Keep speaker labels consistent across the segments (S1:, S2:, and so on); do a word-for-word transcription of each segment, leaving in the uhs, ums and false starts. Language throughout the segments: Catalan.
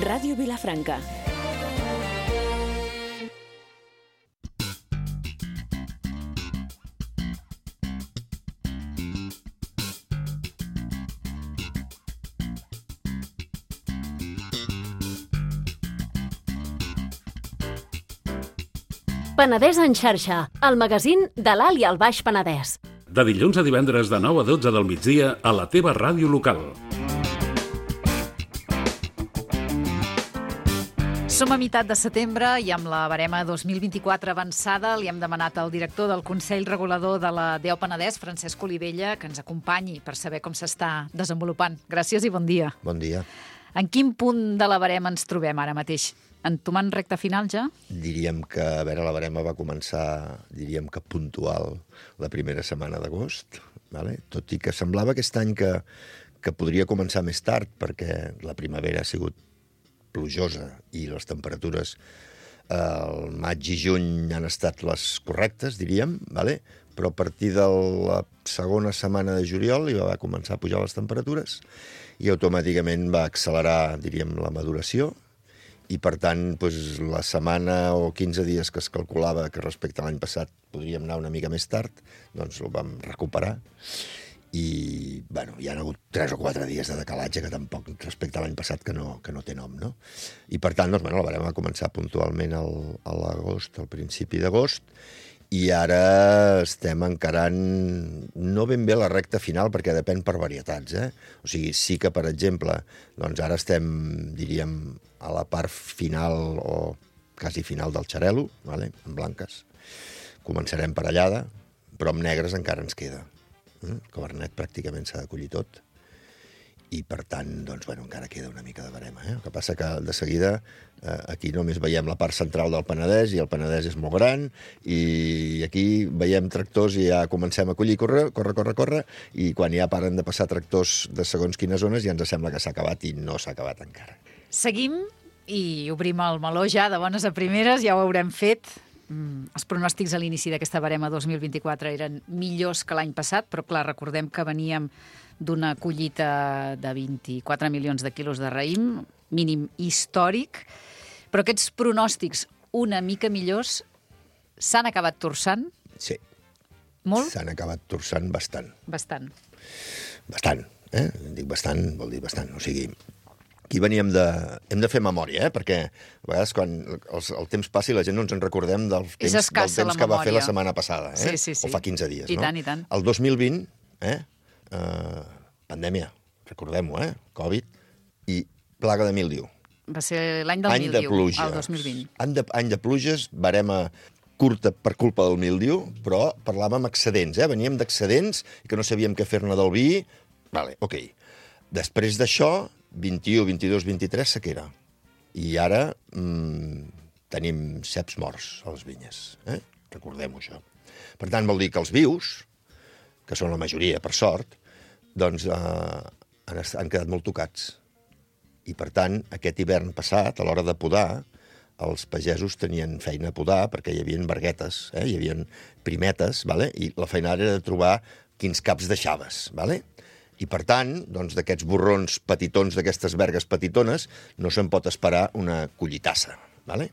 S1: Ràdio Vilafranca.
S2: Penedès en xarxa, el magazín de l'Alt i el Baix Penedès.
S3: De dilluns a divendres de nou a dotze del migdia a la teva ràdio local.
S4: Som a meitat de setembre i amb la barema dos mil vint-i-quatre avançada li hem demanat al director del Consell Regulador de la D E O Penedès, Francesc Olivella, que ens acompanyi per saber com s'està desenvolupant. Gràcies i bon dia.
S5: Bon dia.
S4: En quin punt de la barema ens trobem ara mateix? Entomant recta final ja?
S5: Diríem que, a veure, la barema va començar, diríem que puntual, la primera setmana d'agost, vale? Tot i que semblava aquest any que, que podria començar més tard, perquè la primavera ha sigut plujosa i les temperatures al maig i juny han estat les correctes, diríem, vale? Però a partir de la segona setmana de juliol hi va començar a pujar les temperatures i automàticament va accelerar, diríem, la maduració, i per tant, doncs, la setmana o quinze dies que es calculava que respecte a l'any passat podríem anar una mica més tard, doncs ho vam recuperar. I, bueno, hi ha hagut tres o quatre dies de decalatge que tampoc respecte a l'any passat que no, que no té nom, no? I per tant, doncs, bueno, la barema va començar puntualment al, a l'agost, al principi d'agost, i ara estem encarant no ben bé la recta final, perquè depèn per varietats, eh? O sigui, sí que, per exemple, doncs ara estem, diríem, a la part final o quasi final del xarel·lo, vale? En blanques. Començarem per allada, però amb negres encara ens queda. El cabernet pràcticament s'ha de collir tot. I, per tant, doncs, bueno, encara queda una mica de barema. Eh? El que passa que, de seguida, eh, aquí només veiem la part central del Penedès, i el Penedès és molt gran, i aquí veiem tractors i ja comencem a collir, corre, corre, corre, corre, i quan ja paren de passar tractors de segons quines zones ja ens sembla que s'ha acabat, i no s'ha acabat encara.
S4: Seguim i obrim el meló ja de bones a primeres, ja ho haurem fet. Mm, els pronòstics a l'inici d'aquesta barema dos mil vint-i-quatre eren millors que l'any passat, però clar, recordem que veníem d'una collita de vint-i-quatre milions de quilos de raïm, mínim històric, però aquests pronòstics una mica millors s'han acabat torçant?
S5: Sí.
S4: Molt?
S5: S'han acabat torçant bastant.
S4: Bastant.
S5: Bastant, eh? Dic bastant, vol dir bastant. O sigui, aquí veníem de... Hem de fer memòria, eh? Perquè a vegades quan el, el temps passi la gent no ens en recordem del temps, del temps que va fer la setmana passada, eh?
S4: Sí, sí, sí.
S5: O fa quinze dies,
S4: I
S5: no?
S4: tant, i tant.
S5: El dos mil vint, eh? Uh, pandèmia, recordem-ho, eh? Covid i plaga de míldiu.
S4: Va ser l'any del
S5: any
S4: míldiu,
S5: de pluja.
S4: el dos mil vint.
S5: Any de, any de pluges, barema curta per culpa del míldiu, però parlàvem excedents, eh? Veníem d'excedents i que no sabíem què fer-ne del vi. Vale, ok. Després d'això, vint-i-u, vint-i-dos, vint-i-tres, sequera. I ara mmm, tenim ceps morts a les vinyes. Eh? Recordem-ho, això. Per tant, vol dir que els vius, que són la majoria, per sort, doncs eh, han, han quedat molt tocats. I, per tant, aquest hivern passat, a l'hora de podar, els pagesos tenien feina a podar perquè hi havia barguetes, eh? Hi havia primetes, vale? I la feina era de trobar quins caps deixaves, vale? I, per tant, doncs, d'aquests borrons petitons, d'aquestes vergues petitones, no se'n pot esperar una collitassa, vale?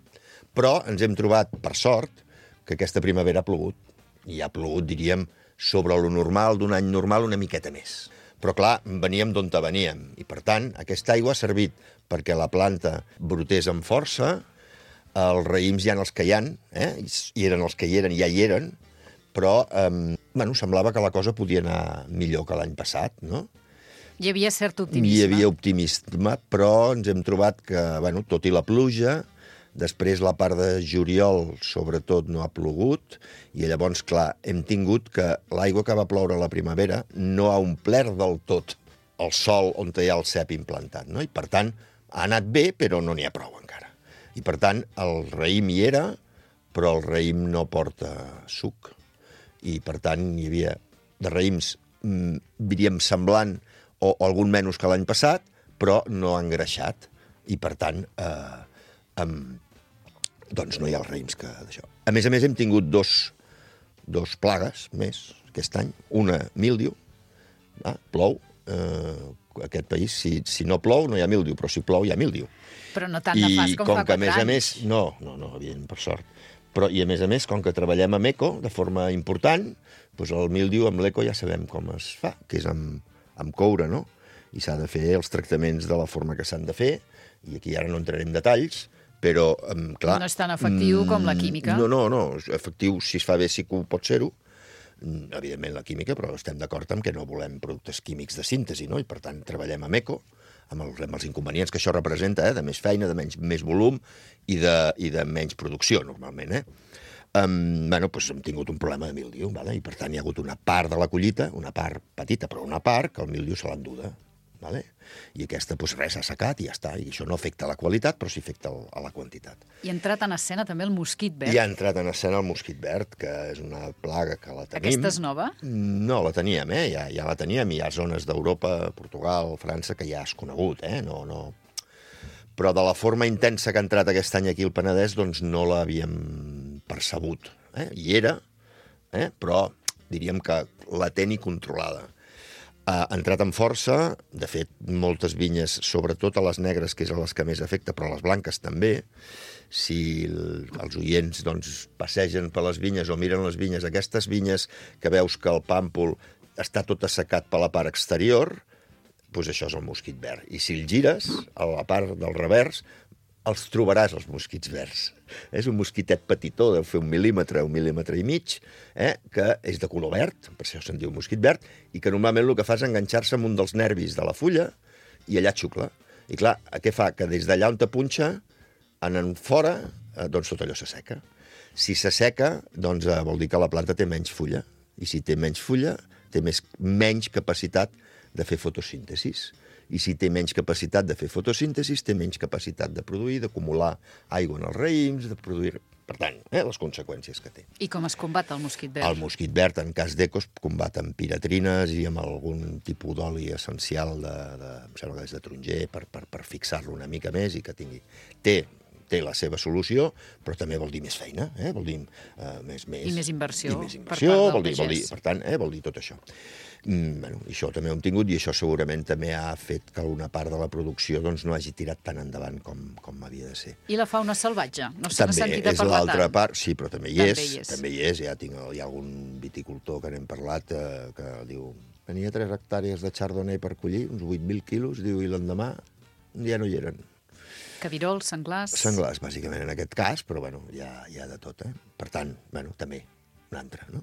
S5: Però ens hem trobat, per sort, que aquesta primavera ha plogut. I ha plogut, diríem, sobre lo normal, d'un any normal, una miqueta més. Però, clar, veníem d'on veníem. I, per tant, aquesta aigua ha servit perquè la planta brotés amb força, els raïms hi ha els que hi ha, eh? I eren els que hi eren, ja hi eren, però eh, bueno, semblava que la cosa podia anar millor que l'any passat, no?
S4: Hi havia cert optimisme.
S5: Hi havia optimisme, però ens hem trobat que, bueno, tot i la pluja, després la part de juliol, sobretot, no ha plogut, i llavors, clar, hem tingut que l'aigua que va ploure a la primavera no ha omplert del tot el sòl on hi ha el cep implantat, no? I, per tant, ha anat bé, però no n'hi ha prou encara. I, per tant, el raïm hi era, però el raïm no porta suc. I, per tant, hi havia de raïms, mmm, diríem, semblant o, o algun menys que l'any passat, però no ha engreixat. I, per tant, eh, amb, doncs no hi ha els raïms que d'això. A més a més, hem tingut dos, dos plagues més aquest any. Una, míldiu, ah, plou, eh, aquest país, si, si no plou no hi ha míldiu, però si plou hi ha míldiu.
S4: Però no tan nefast com, com fa quatre anys. I com que, a més a més, no, no, no, evident, per sort. Però, i a més a més, com que treballem amb eco de forma important, doncs el míldiu amb l'eco ja sabem com es fa, que és amb, amb coure, no? I s'ha de fer els tractaments de la forma que s'han de fer, i aquí ara no entraré en detalls, però, clar... No és tan efectiu mm, com la química?
S5: No, no, no, efectiu, si es fa bé sí que pot ser-ho, evidentment la química, però estem d'acord amb que no volem productes químics de síntesi, no? I per tant treballem amb eco, amb els, amb els inconvenients que això representa, eh? De més feina, de menys, més volum i de, i de menys producció, normalment. Eh? Um, bueno, doncs hem tingut un problema de míldiu, vale? I per tant hi ha hagut una part de la collita, una part petita, però una part que el míldiu se l'ha enduda. Vale? I aquesta, doncs res, s'ha assecat i ja està. I això no afecta la qualitat, però sí afecta el, a la quantitat.
S4: I ha entrat en escena també el mosquit verd.
S5: I ha entrat en escena el mosquit verd, que és una plaga que la tenim.
S4: Aquesta és nova?
S5: No, la teníem, eh? Ja, ja la teníem. Hi ha zones d'Europa, Portugal, França, que ja és conegut, eh? No, no... Però de la forma intensa que ha entrat aquest any aquí al Penedès, doncs no l'havíem percebut. Eh? Hi era, eh? Però diríem que latent i controlada. Ha entrat amb força, de fet, moltes vinyes, sobretot a les negres, que és a les que més afecta, però a les blanques també. Si el, els oients doncs, passegen per les vinyes o miren les vinyes, aquestes vinyes que veus que el pàmpol està tot assecat per la part exterior, doncs això és el mosquit verd. I si el gires, a la part del revers, els trobaràs, els mosquits verds. És un mosquitet petitó, deu fer un mil·límetre, un mil·límetre i mig, eh, que és de color verd, per això se'n diu mosquit verd, i que normalment el que fa és enganxar-se amb un dels nervis de la fulla i allà xucla. I clar, què fa? Que des d'allà on te punxa, en fora, eh, doncs tot allò s'asseca. Si s'asseca, doncs eh, vol dir que la planta té menys fulla. I si té menys fulla, té més, menys capacitat de fer fotosíntesis. I si té menys capacitat de fer fotosíntesis, té menys capacitat de produir, d'acumular aigua en els raïms, de produir... Per tant, eh, les conseqüències que té.
S4: I com es combat el mosquit verd?
S5: El mosquit verd, en cas d'eco, es combat amb piratrines i amb algun tipus d'oli essencial de, de, em sembla que és de taronger, per, per, per fixar-lo una mica més i que tingui... Té, té la seva solució, però també vol dir més feina, eh? Vol dir uh, més, més...
S4: I més inversió.
S5: I més inversió, vol dir, vol dir, per tant, eh, vol dir tot això. Mm, bueno, això també ho hem tingut i això segurament també ha fet que una part de la producció doncs, no hagi tirat tan endavant com, com havia de ser.
S4: I la fauna salvatge? No se n'ha sentit a parlar tant?
S5: També és l'altra part, sí, però també hi
S4: també
S5: és,
S4: hi és.
S5: també hi és. Ja tinc, hi ha algun viticultor que n'hem parlat eh, que diu, tenia tres hectàrees de chardonnay per collir, uns vuit mil quilos, diu, i l'endemà ja no hi eren.
S4: Cabirols, senglars...
S5: Senglars, bàsicament, en aquest cas, però bueno, hi ha, hi ha de tot, eh? Per tant, bueno, també, un altre, no?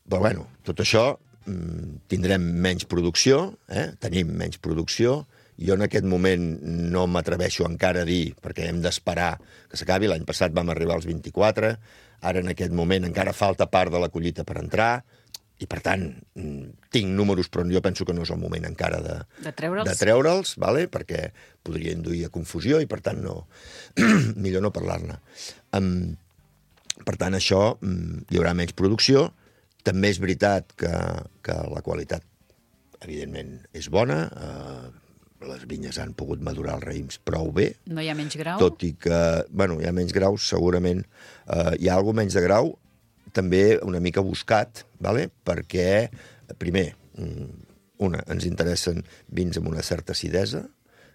S5: Però bueno, tot això mmm, tindrem menys producció, eh? Tenim menys producció. Jo en aquest moment no m'atreveixo encara a dir, perquè hem d'esperar que s'acabi. L'any passat vam arribar als vint-i-quatre, ara en aquest moment encara falta part de la collita per entrar, i per tant, tinc números, però jo penso que no és el moment encara de,
S4: de treure'ls,
S5: de treure'ls vale? Perquè podria induir a confusió i per tant no, millor no parlar-ne. Um, per tant, això, um, hi haurà menys producció. També és veritat que, que la qualitat, evidentment, és bona. Uh, les vinyes han pogut madurar els raïms prou bé.
S4: No hi ha menys grau?
S5: Tot i que, bueno, hi ha menys graus, segurament. Uh, hi ha alguna menys de grau, també una mica buscat, vale? Perquè, primer, una, ens interessen vins amb una certa acidesa,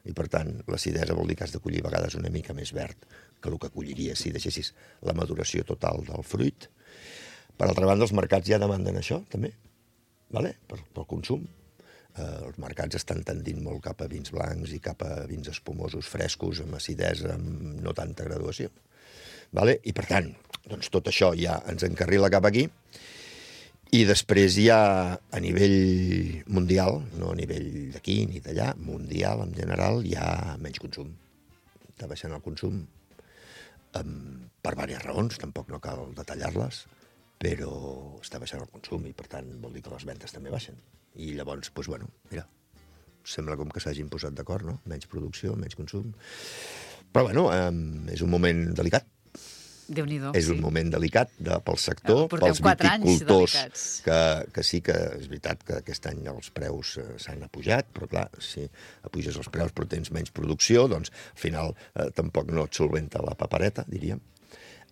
S5: i per tant, l'acidesa vol dir que has de collir a vegades una mica més verd que el que colliries si deixessis la maduració total del fruit. Per altra banda, els mercats ja demanden això, també, vale? per, pel consum. Eh, els mercats estan tendint molt cap a vins blancs i cap a vins espumosos, frescos, amb acidesa, amb no tanta graduació. Vale? I per tant, doncs tot això ja ens encarrila cap aquí. I després ja a nivell mundial, no a nivell d'aquí ni d'allà, mundial en general, hi ha menys consum. Està baixant el consum um, per diverses raons, tampoc no cal detallar-les, però està baixant el consum i per tant vol dir que les ventes també baixen. I llavors, doncs bueno, mira, sembla com que s'hagin posat d'acord, no? Menys producció, menys consum. Però bueno, um, és un moment delicat.
S4: Déu-n'hi-do,
S5: és un
S4: sí.
S5: moment delicat de, pel sector,
S4: Porteu
S5: pels viticultors, que, que sí que és veritat que aquest any els preus eh, s'han apujat, però clar, si apuges els preus però tens menys producció, doncs al final eh, tampoc no et solventa la papereta, diríem.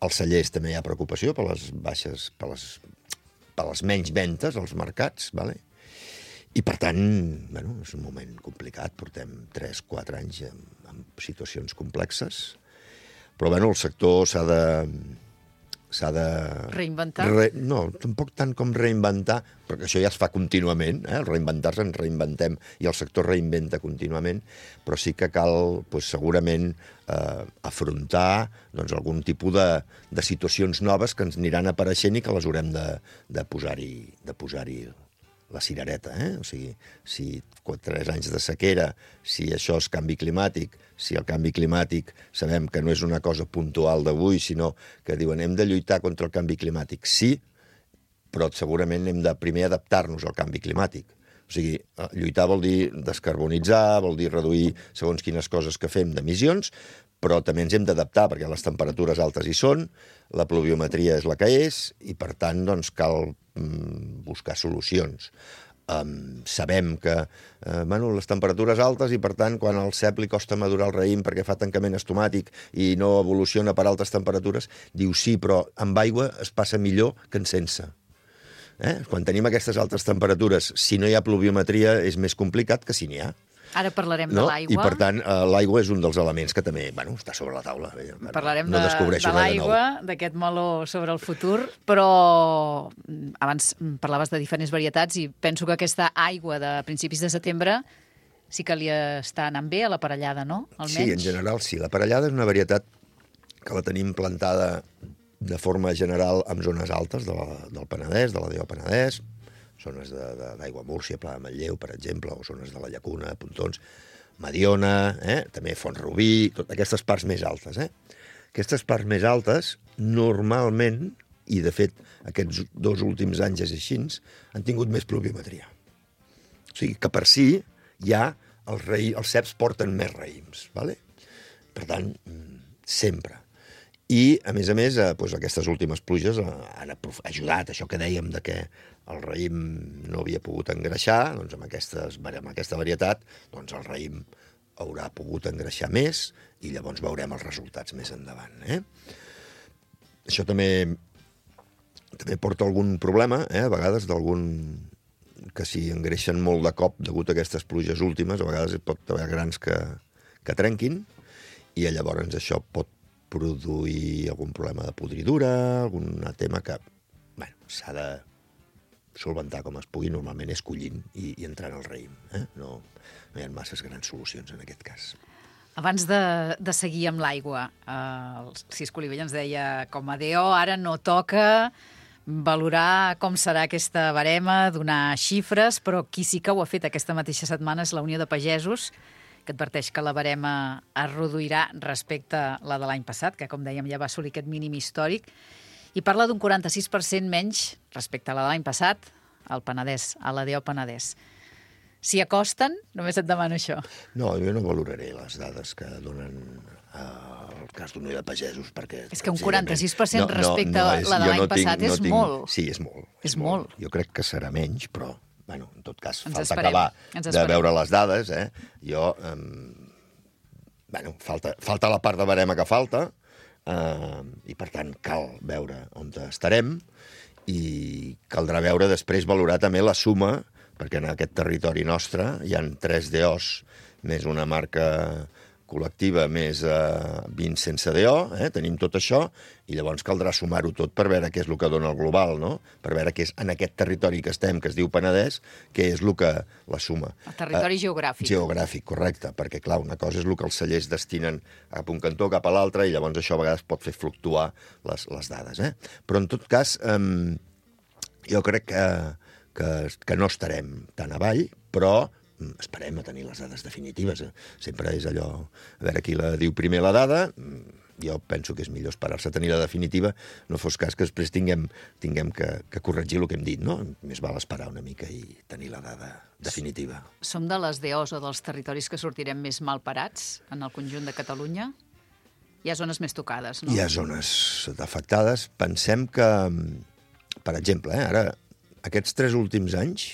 S5: Als cellers també hi ha preocupació per les baixes, per les, per les menys ventes als mercats, vale? I, per tant, bueno, és un moment complicat. Portem tres quatre anys amb, amb situacions complexes. Però, bueno, el sector s'ha de... s'ha de...
S4: Reinventar?
S5: Re... No, tampoc tant com reinventar, perquè això ja es fa contínuament, eh? El reinventar-se ens reinventem i el sector reinventa contínuament, però sí que cal, doncs, segurament, eh, afrontar doncs, algun tipus de, de situacions noves que ens aniran apareixent i que les haurem de, de posar-hi de posar-hi la cirereta, eh? O sigui, si tres anys de sequera, si això és canvi climàtic, si el canvi climàtic sabem que no és una cosa puntual d'avui, sinó que diuen hem de lluitar contra el canvi climàtic, sí, però segurament hem de primer adaptar-nos al canvi climàtic. O sigui, lluitar vol dir descarbonitzar, vol dir reduir segons quines coses que fem d'emissions, però també ens hem d'adaptar, perquè les temperatures altes hi són, la pluviometria és la que és, i per tant doncs, cal mm, buscar solucions. Um, sabem que uh, bueno, les temperatures altes i, per tant, quan al cep li costa madurar el raïm perquè fa tancament estomàtic i no evoluciona per altes temperatures, diu sí, però amb aigua es passa millor que en sense. Eh? Quan tenim aquestes altes temperatures, si no hi ha pluviometria és més complicat que si n'hi ha.
S4: Ara parlarem
S5: no?
S4: de l'aigua.
S5: I, per tant, uh, l'aigua és un dels elements que també bueno, està sobre la taula. Bueno,
S4: parlarem
S5: no
S4: de,
S5: descobreixo
S4: de l'aigua, d'aquest meló sobre el futur, però abans parlaves de diferents varietats i penso que aquesta aigua de principis de setembre sí que li està anant bé a l'aparellada, no? Almenys.
S5: Sí, en general sí. L'aparellada és una varietat que la tenim plantada de forma general en zones altes de la, del Penedès, de la D O Penedès, zones d'Aigua Múrcia, Pla de Manlleu, per exemple, o zones de la Llacuna, Pontons, Mediona, eh? també Font-rubí, totes aquestes parts més altes. Eh? Aquestes parts més altes, normalment, i de fet aquests dos últims anys és així, han tingut més pluviometria. O sigui que per si ja els, raï... els ceps porten més raïms. ¿Vale? Per tant, sempre. I, a més a més, eh, doncs aquestes últimes pluges han ajudat, això que dèiem de que el raïm no havia pogut engreixar, doncs amb, aquestes, amb aquesta varietat, doncs el raïm haurà pogut engreixar més i llavors veurem els resultats més endavant. Eh? Això també, també porta algun problema, eh? A vegades d'algun que si engreixen molt de cop degut a aquestes pluges últimes, a vegades pot haver grans que, que trenquin i llavors això pot produir algun problema de podridura, algun tema que bueno, s'ha de solventar com es pugui, normalment és collint i, i entrant al raïm. Eh? No, no hi ha masses grans solucions en aquest cas.
S4: Abans de, de seguir amb l'aigua, eh, el Cisco Olivella ens deia com a D O ara no toca valorar com serà aquesta barema, donar xifres, però qui sí que ho ha fet aquesta mateixa setmana és la Unió de Pagesos, que adverteix que la barema es reduirà respecte a la de l'any passat, que, com dèiem, ja va assolir aquest mínim històric, i parla d'un quaranta-sis per cent menys respecte a la de l'any passat al Penedès, a la D O Penedès. Si acosten, només et demano això.
S5: No, jo no valoraré les dades que donen eh, el cas d'Unió de Pagesos, perquè...
S4: És que un quaranta-sis per cent no, respecte no, no és, a la de l'any no passat tinc, és no tinc, molt.
S5: Sí, és molt.
S4: És, és molt.
S5: molt. Jo crec que serà menys, però... Bueno, en tot cas,
S4: ens
S5: falta
S4: esperem,
S5: acabar de veure les dades. Eh? Jo, eh, bueno, falta, falta la part de barema que falta, eh, i per tant cal veure on estarem, i caldrà veure després valorar també la suma, perquè en aquest territori nostre hi ha tres D Os, més una marca col·lectiva, més eh, vint sense D O, eh? Tenim tot això, i llavors caldrà sumar-ho tot per veure què és el que dona el global, no? Per veure què és en aquest territori que estem, que es diu Penedès, què és el que la suma.
S4: El territori eh, geogràfic.
S5: Geogràfic, correcte, perquè, clar, una cosa és el que els cellers destinen cap a un cantó, cap a l'altre, i llavors això a vegades pot fer fluctuar les, les dades, eh? Però, en tot cas, eh, jo crec que, que, que no estarem tan avall, però esperem a tenir les dades definitives. Sempre és allò, a veure qui la diu primer la dada, jo penso que és millor esperar-se a tenir la definitiva, no fos cas que després tinguem, tinguem que, que corregir el que hem dit, no? Més val esperar una mica i tenir la dada definitiva.
S4: Som de les D Os o dels territoris que sortirem més mal parats en el conjunt de Catalunya? Hi ha zones més tocades, no?
S5: Hi ha zones afectades. Pensem que, per exemple, eh, ara, aquests tres últims anys,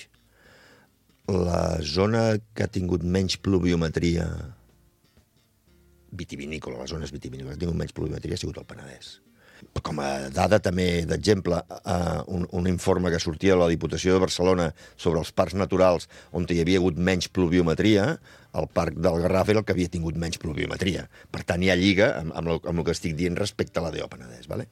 S5: la zona que ha tingut menys pluviometria vitivinícola, les zones vitivinícoles, ha tingut menys pluviometria ha sigut el Penedès. Com a dada també d'exemple, eh, un, un informe que sortia de la Diputació de Barcelona sobre els parcs naturals on hi havia hagut menys pluviometria, el parc del Garraf era el que havia tingut menys pluviometria. Per tant, hi ha lliga amb, amb, el, amb el que estic dient respecte a la D O Penedès. Vale?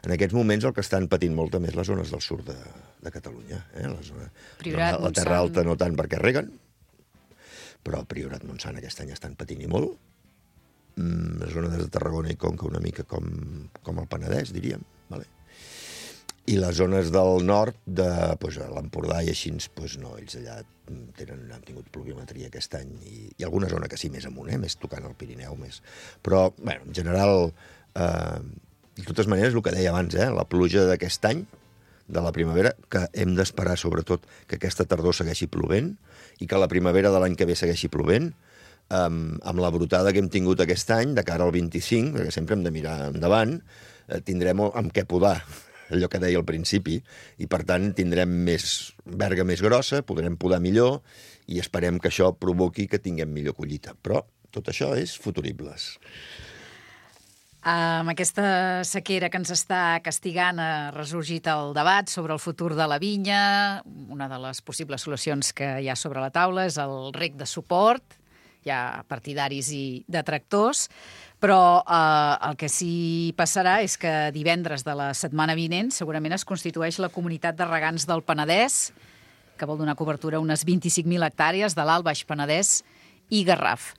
S5: En aquests moments el que estan patint molt també és les zones del sud de, de Catalunya. Eh? La, zona,
S4: Priorat,
S5: la, la Terra Alta no tant perquè reguen, però Priorat, Montsant aquest any estan patint i molt. Mm, la zona de Tarragona i Conca una mica com, com el Penedès, diríem. Vale? I les zones del nord, de pues, l'Empordà i així, pues, no, ells allà tenen, han tingut pluviometria aquest any, i, i alguna zona que sí, més amunt, eh? Més tocant el Pirineu, més. Però, bueno, en general, eh, de totes maneres, el que deia abans, eh? La pluja d'aquest any, de la primavera, que hem d'esperar, sobretot, que aquesta tardor segueixi plovent i que la primavera de l'any que ve segueixi plovent, Um, amb la brotada que hem tingut aquest any, de cara al vint-i-cinc, perquè sempre hem de mirar endavant, eh, tindrem amb què podar, allò que deia al principi, i per tant tindrem més verga més grossa, podrem podar millor, i esperem que això provoqui que tinguem millor collita. Però tot això és futuribles.
S4: Amb aquesta sequera que ens està castigant ha ressorgit el debat sobre el futur de la vinya. Una de les possibles solucions que hi ha sobre la taula és el rec de suport. Hi ha partidaris i detractors, però eh, el que sí passarà és que divendres de la setmana vinent segurament es constitueix la Comunitat de Regants del Penedès, que vol donar cobertura a unes vint-i-cinc mil hectàrees de l'Alt Baix Penedès i Garraf.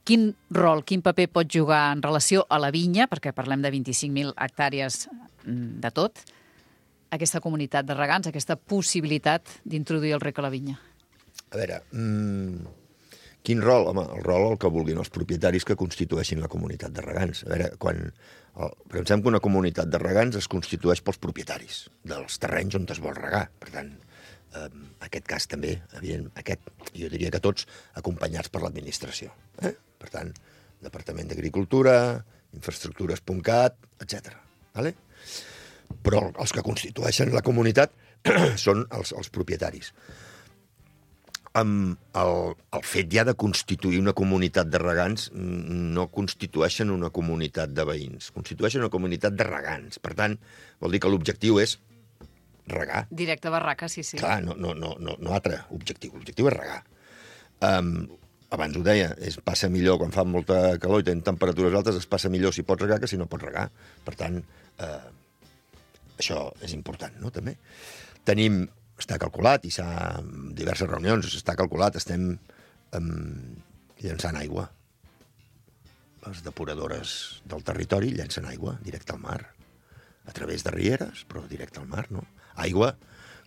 S4: Quin rol, quin paper pot jugar en relació a la vinya, perquè parlem de vint-i-cinc mil hectàrees de tot, aquesta comunitat de regants, aquesta possibilitat d'introduir el rec a la vinya?
S5: A veure, mmm, quin rol? Home, el rol el que vulguin els propietaris que constitueixin la comunitat de regants. A veure, quan el, pensem que una comunitat de regants es constitueix pels propietaris dels terrenys on es vol regar. Per tant, eh, aquest cas també, evident, aquest, jo diria que tots, acompanyats per l'administració. Eh? Per tant, Departament d'Agricultura, infraestructures punt cat, etcètera. Vale? Però els que constitueixen la comunitat són els, els propietaris. Amb el, el fet ja de constituir una comunitat de regants no constitueixen una comunitat de veïns, constitueixen una comunitat de regants. Per tant, vol dir que l'objectiu és regar.
S4: Directe a barraca, sí, sí.
S5: Clar, no, no, no, no, no altre objectiu. L'objectiu és regar. Um, abans ho deia, es passa millor quan fa molta calor i tenen temperatures altes, es passa millor si pots regar que si no pots regar. Per tant, eh, això és important, no?, també. Tenim... Està calculat, i s'ha en diverses reunions, està calculat, estem um, llançant aigua. Les depuradores del territori llencen aigua directe al mar, a través de rieres, però directe al mar, no? Aigua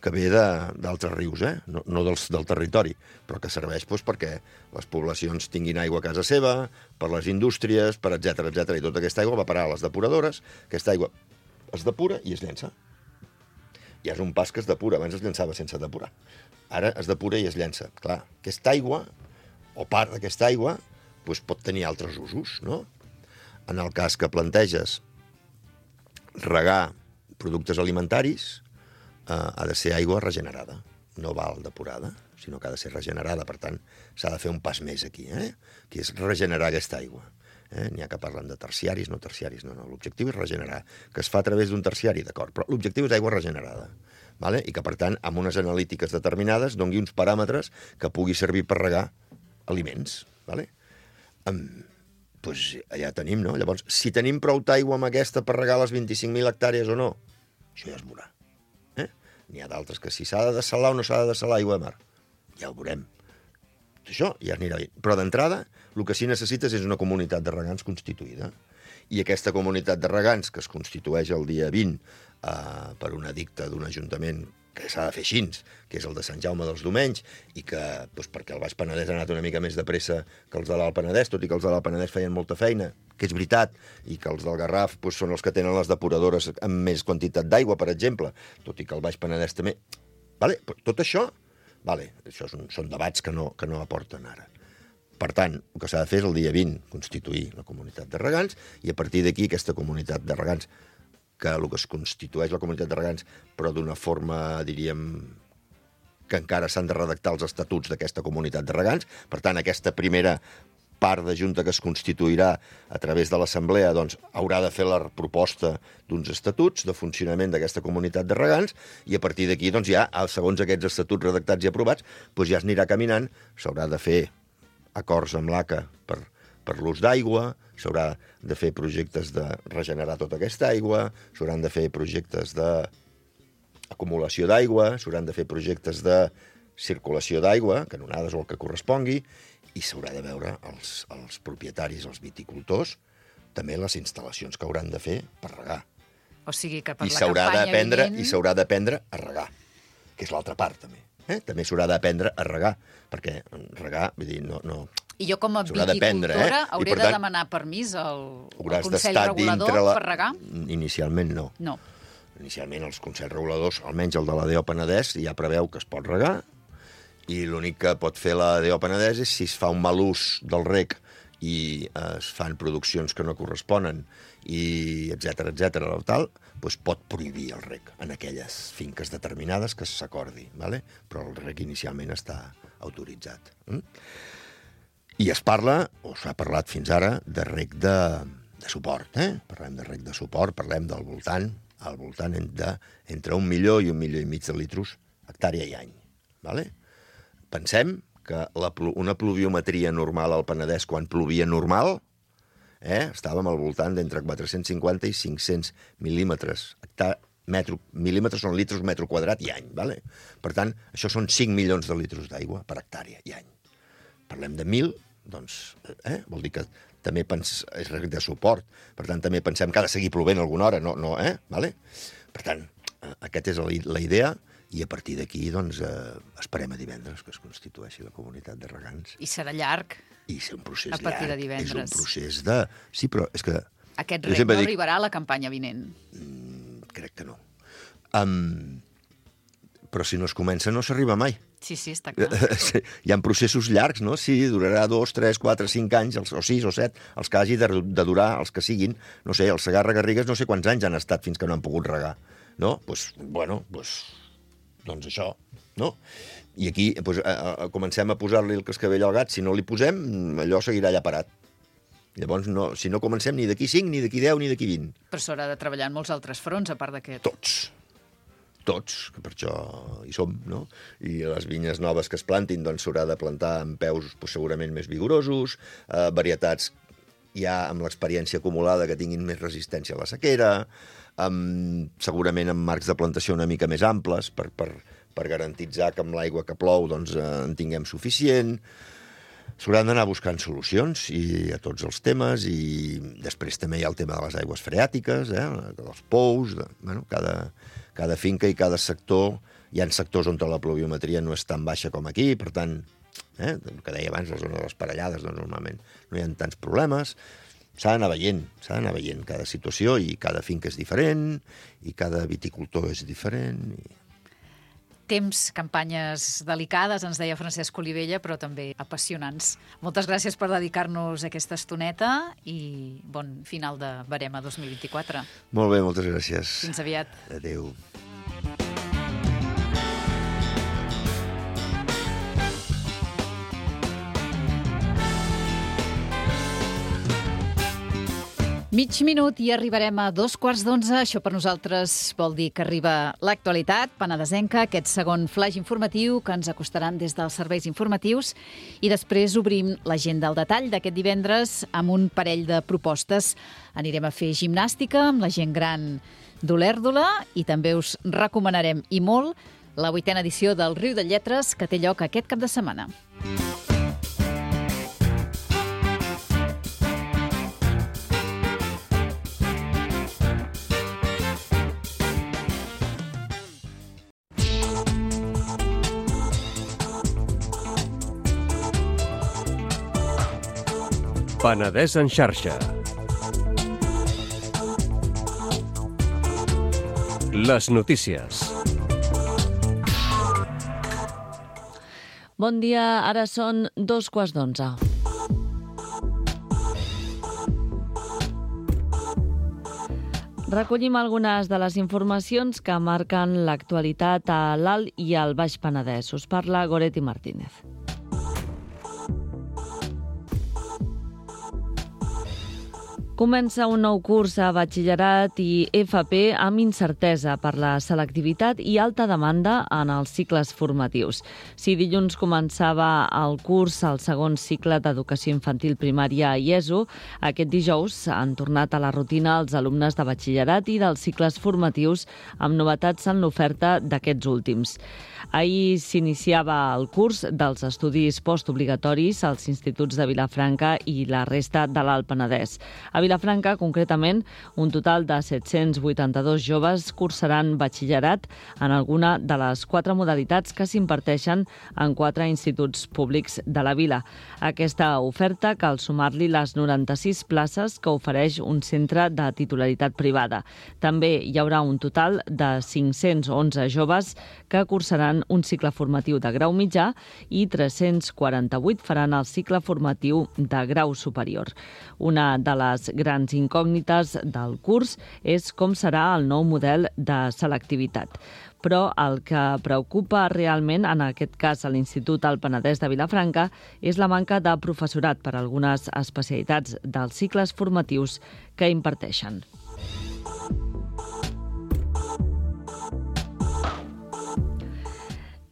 S5: que ve d'altres rius, eh? no, no dels, del territori, però que serveix doncs, perquè les poblacions tinguin aigua a casa seva, per les indústries, per etcètera, etcètera, i tota aquesta aigua va parar a les depuradores, aquesta aigua es depura i es llença. Ja és un pas que es depura, abans es llançava sense depurar. Ara es depura i es llença. Clar, aquesta aigua, o part d'aquesta aigua, doncs pot tenir altres usos, no? En el cas que planteges regar productes alimentaris, eh, ha de ser aigua regenerada, no val depurada, sinó que ha de ser regenerada. Per tant, s'ha de fer un pas més aquí, eh? Que és regenerar aquesta aigua. Eh? N'hi ha que parlen de terciaris, no terciaris, no, no. L'objectiu és regenerar, que es fa a través d'un terciari, d'acord, però l'objectiu és aigua regenerada, vale? I que, per tant, amb unes analítiques determinades doni uns paràmetres que pugui servir per regar aliments, vale? Um, doncs allà tenim, no? Llavors, si tenim prou d'aigua amb aquesta per regar les vint-i-cinc mil hectàrees o no, això ja es veurà. Eh? N'hi ha d'altres que si s'ha de dessalar o no s'ha de dessalar aigua de mar, ja ho veurem. Això ja anirà bé. Però d'entrada, el que sí necessites és una comunitat de regants constituïda. I aquesta comunitat de regants, que es constitueix el dia vint eh, per un edicte d'un ajuntament que s'ha de fer així, que és el de Sant Jaume dels Domenys, i que, doncs, perquè el Baix Penedès ha anat una mica més de pressa que els de l'Alt Penedès, tot i que els de l'Alt Penedès feien molta feina, que és veritat, i que els del Garraf doncs, són els que tenen les depuradores amb més quantitat d'aigua, per exemple, tot i que el Baix Penedès també... Vale? Tot això... Vale, això són, són debats que no, que no aporten ara. Per tant, el que s'ha de fer és el dia vint constituir la comunitat de regants i a partir d'aquí aquesta comunitat de regants, que el que es constitueix la comunitat de regants, però d'una forma, diríem, que encara s'han de redactar els estatuts d'aquesta comunitat de regants. Per tant, aquesta primera part de junta que es constituirà a través de l'Assemblea doncs, haurà de fer la proposta d'uns estatuts de funcionament d'aquesta comunitat de regants i a partir d'aquí, doncs, ja, segons aquests estatuts redactats i aprovats, doncs ja es anirà caminant, s'haurà de fer acords amb l'A C A per, per l'ús d'aigua, s'haurà de fer projectes de regenerar tota aquesta aigua, s'hauran de fer projectes d'acumulació d'aigua, s'hauran de fer projectes de circulació d'aigua, canonades o el que correspongui, i s'haurà de veure els, els propietaris, els viticultors, també les instal·lacions que hauran de fer per regar.
S4: O sigui que per
S5: I
S4: la campanya vinent...
S5: I s'haurà d'aprendre a regar, que és l'altra part, també. Eh? També s'haurà d'aprendre a regar, perquè regar, vull dir, no... no
S4: I jo com a viticultora eh? hauré de demanar permís al, al Consell Regulador la... per regar?
S5: Inicialment no.
S4: No.
S5: Inicialment els Consells Reguladors, almenys el de la D O Penedès, ja preveu que es pot regar, i l'únic que pot fer la D O Penedès és si es fa un mal ús del reg i es fan produccions que no corresponen, i etcètera, etcètera, tal, doncs pot prohibir el reg en aquelles finques determinades que s'acordi, ¿vale? Però el reg inicialment està autoritzat. Mm? I es parla, o s'ha parlat fins ara, de reg de, de suport. Eh? Parlem de reg de suport, parlem del voltant, al voltant de, entre un milió i un milió i mig de litros hectàrea i any. ¿Vale? Pensem que la, una pluviometria normal al Penedès, quan plovia normal, eh, estàvem al voltant d'entre quatre-cents cinquanta i cinc-cents mil·límetres. Metro, mil·límetres són litros metro quadrat i any. ¿Vale? Per tant, això són cinc milions de litros d'aigua per hectàrea i any. Parlem de mil, doncs, eh, vol dir que també pens, és reg de suport. Per tant, també pensem que ha de seguir plovent alguna hora. No, no, eh? ¿Vale? Per tant, aquesta és la, la idea. I a partir d'aquí, doncs, eh, esperem a divendres que es constitueixi la comunitat de regants.
S4: I serà llarg,
S5: I és un procés
S4: a partir
S5: llarg.
S4: de divendres.
S5: És un procés de... Sí, però és que...
S4: Aquest reg no dic... arribarà a la campanya vinent.
S5: Mm, crec que no. Um, però si no es comença, no s'arriba mai.
S4: Sí, sí, està clar.
S5: Hi ha processos llargs, no? Sí, durarà dos, tres, quatre, cinc anys, o sis o set, els que hagi de, de durar, els que siguin. No sé, els Segarra-Garrigues no sé quants anys han estat fins que no han pogut regar. No? Doncs, bueno, doncs... doncs això, no? I aquí doncs, a, a, comencem a posar-li el cascavell al gat. Si no li posem, allò seguirà allà parat. Llavors, no, si no comencem ni d'aquí cinc, ni d'aquí deu, ni d'aquí vint.
S4: Però s'haurà de treballar en molts altres fronts, a part d'aquest.
S5: Tots. Tots, que per això hi som, no? I les vinyes noves que es plantin, doncs s'haurà de plantar amb peus doncs, segurament més vigorosos, eh, varietats ja amb l'experiència acumulada que tinguin més resistència a la sequera, amb, segurament amb marcs de plantació una mica més amples per, per, per garantitzar que amb l'aigua que plou doncs, eh, en tinguem suficient. S'hauran d'anar buscant solucions i a tots els temes, i després també hi ha el tema de les aigües freàtiques, eh, dels pous, de, bueno, cada, cada finca i cada sector. Hi ha sectors on la pluviometria no és tan baixa com aquí, per tant, eh, el que deia abans, la zona de les parellades, doncs normalment no hi ha tants problemes. S'ha d'anar veient, s'ha d'anar veient cada situació, i cada finca és diferent, i cada viticultor és diferent. I...
S4: Temps, campanyes delicades, ens deia Francesc Olivella, però també apassionants. Moltes gràcies per dedicar-nos aquesta estoneta i bon final de Verema dos mil vint-i-quatre.
S5: Molt bé, moltes gràcies.
S4: Fins aviat.
S5: Adéu.
S4: Mig minut i arribarem a dos quarts d'onze. Això per nosaltres vol dir que arriba l'actualitat penedesenca, aquest segon flaix informatiu que ens acostaran des dels serveis informatius, i després obrim l'agenda al detall d'aquest divendres amb un parell de propostes. Anirem a fer gimnàstica amb la gent gran d'Olèrdola i també us recomanarem, i molt, la vuitena edició del Riu de Lletres, que té lloc aquest cap de setmana.
S1: Penedès en xarxa. Les notícies.
S2: Bon dia, ara són dos quarts d'onze. Recollim algunes de les informacions que marquen l'actualitat a l'Alt i al Baix Penedès. Us parla Goretti Martínez. Comença un nou curs a batxillerat i F P amb incertesa per la selectivitat i alta demanda en els cicles formatius. Si dilluns començava el curs al segon cicle d'educació infantil primària a I E S O, aquest dijous han tornat a la rutina els alumnes de batxillerat i dels cicles formatius amb novetats en l'oferta d'aquests últims. Ahir s'iniciava el curs dels estudis postobligatoris als instituts de Vilafranca i la resta de l'Alt Penedès. A Vilafranca, concretament, un total de set-cents vuitanta-dos joves cursaran batxillerat en alguna de les quatre modalitats que s'imparteixen en quatre instituts públics de la vila. Aquesta oferta cal sumar-li les noranta-sis places que ofereix un centre de titularitat privada. També hi haurà un total de cinc-cents onze joves que cursaran un cicle formatiu de grau mitjà i tres-cents quaranta-vuit faran el cicle formatiu de grau superior. Una de les grans incògnites del curs és com serà el nou model de selectivitat. Però el que preocupa realment, en aquest cas a l'Institut Alt Penedès de Vilafranca, és la manca de professorat per a algunes especialitats dels cicles formatius que imparteixen.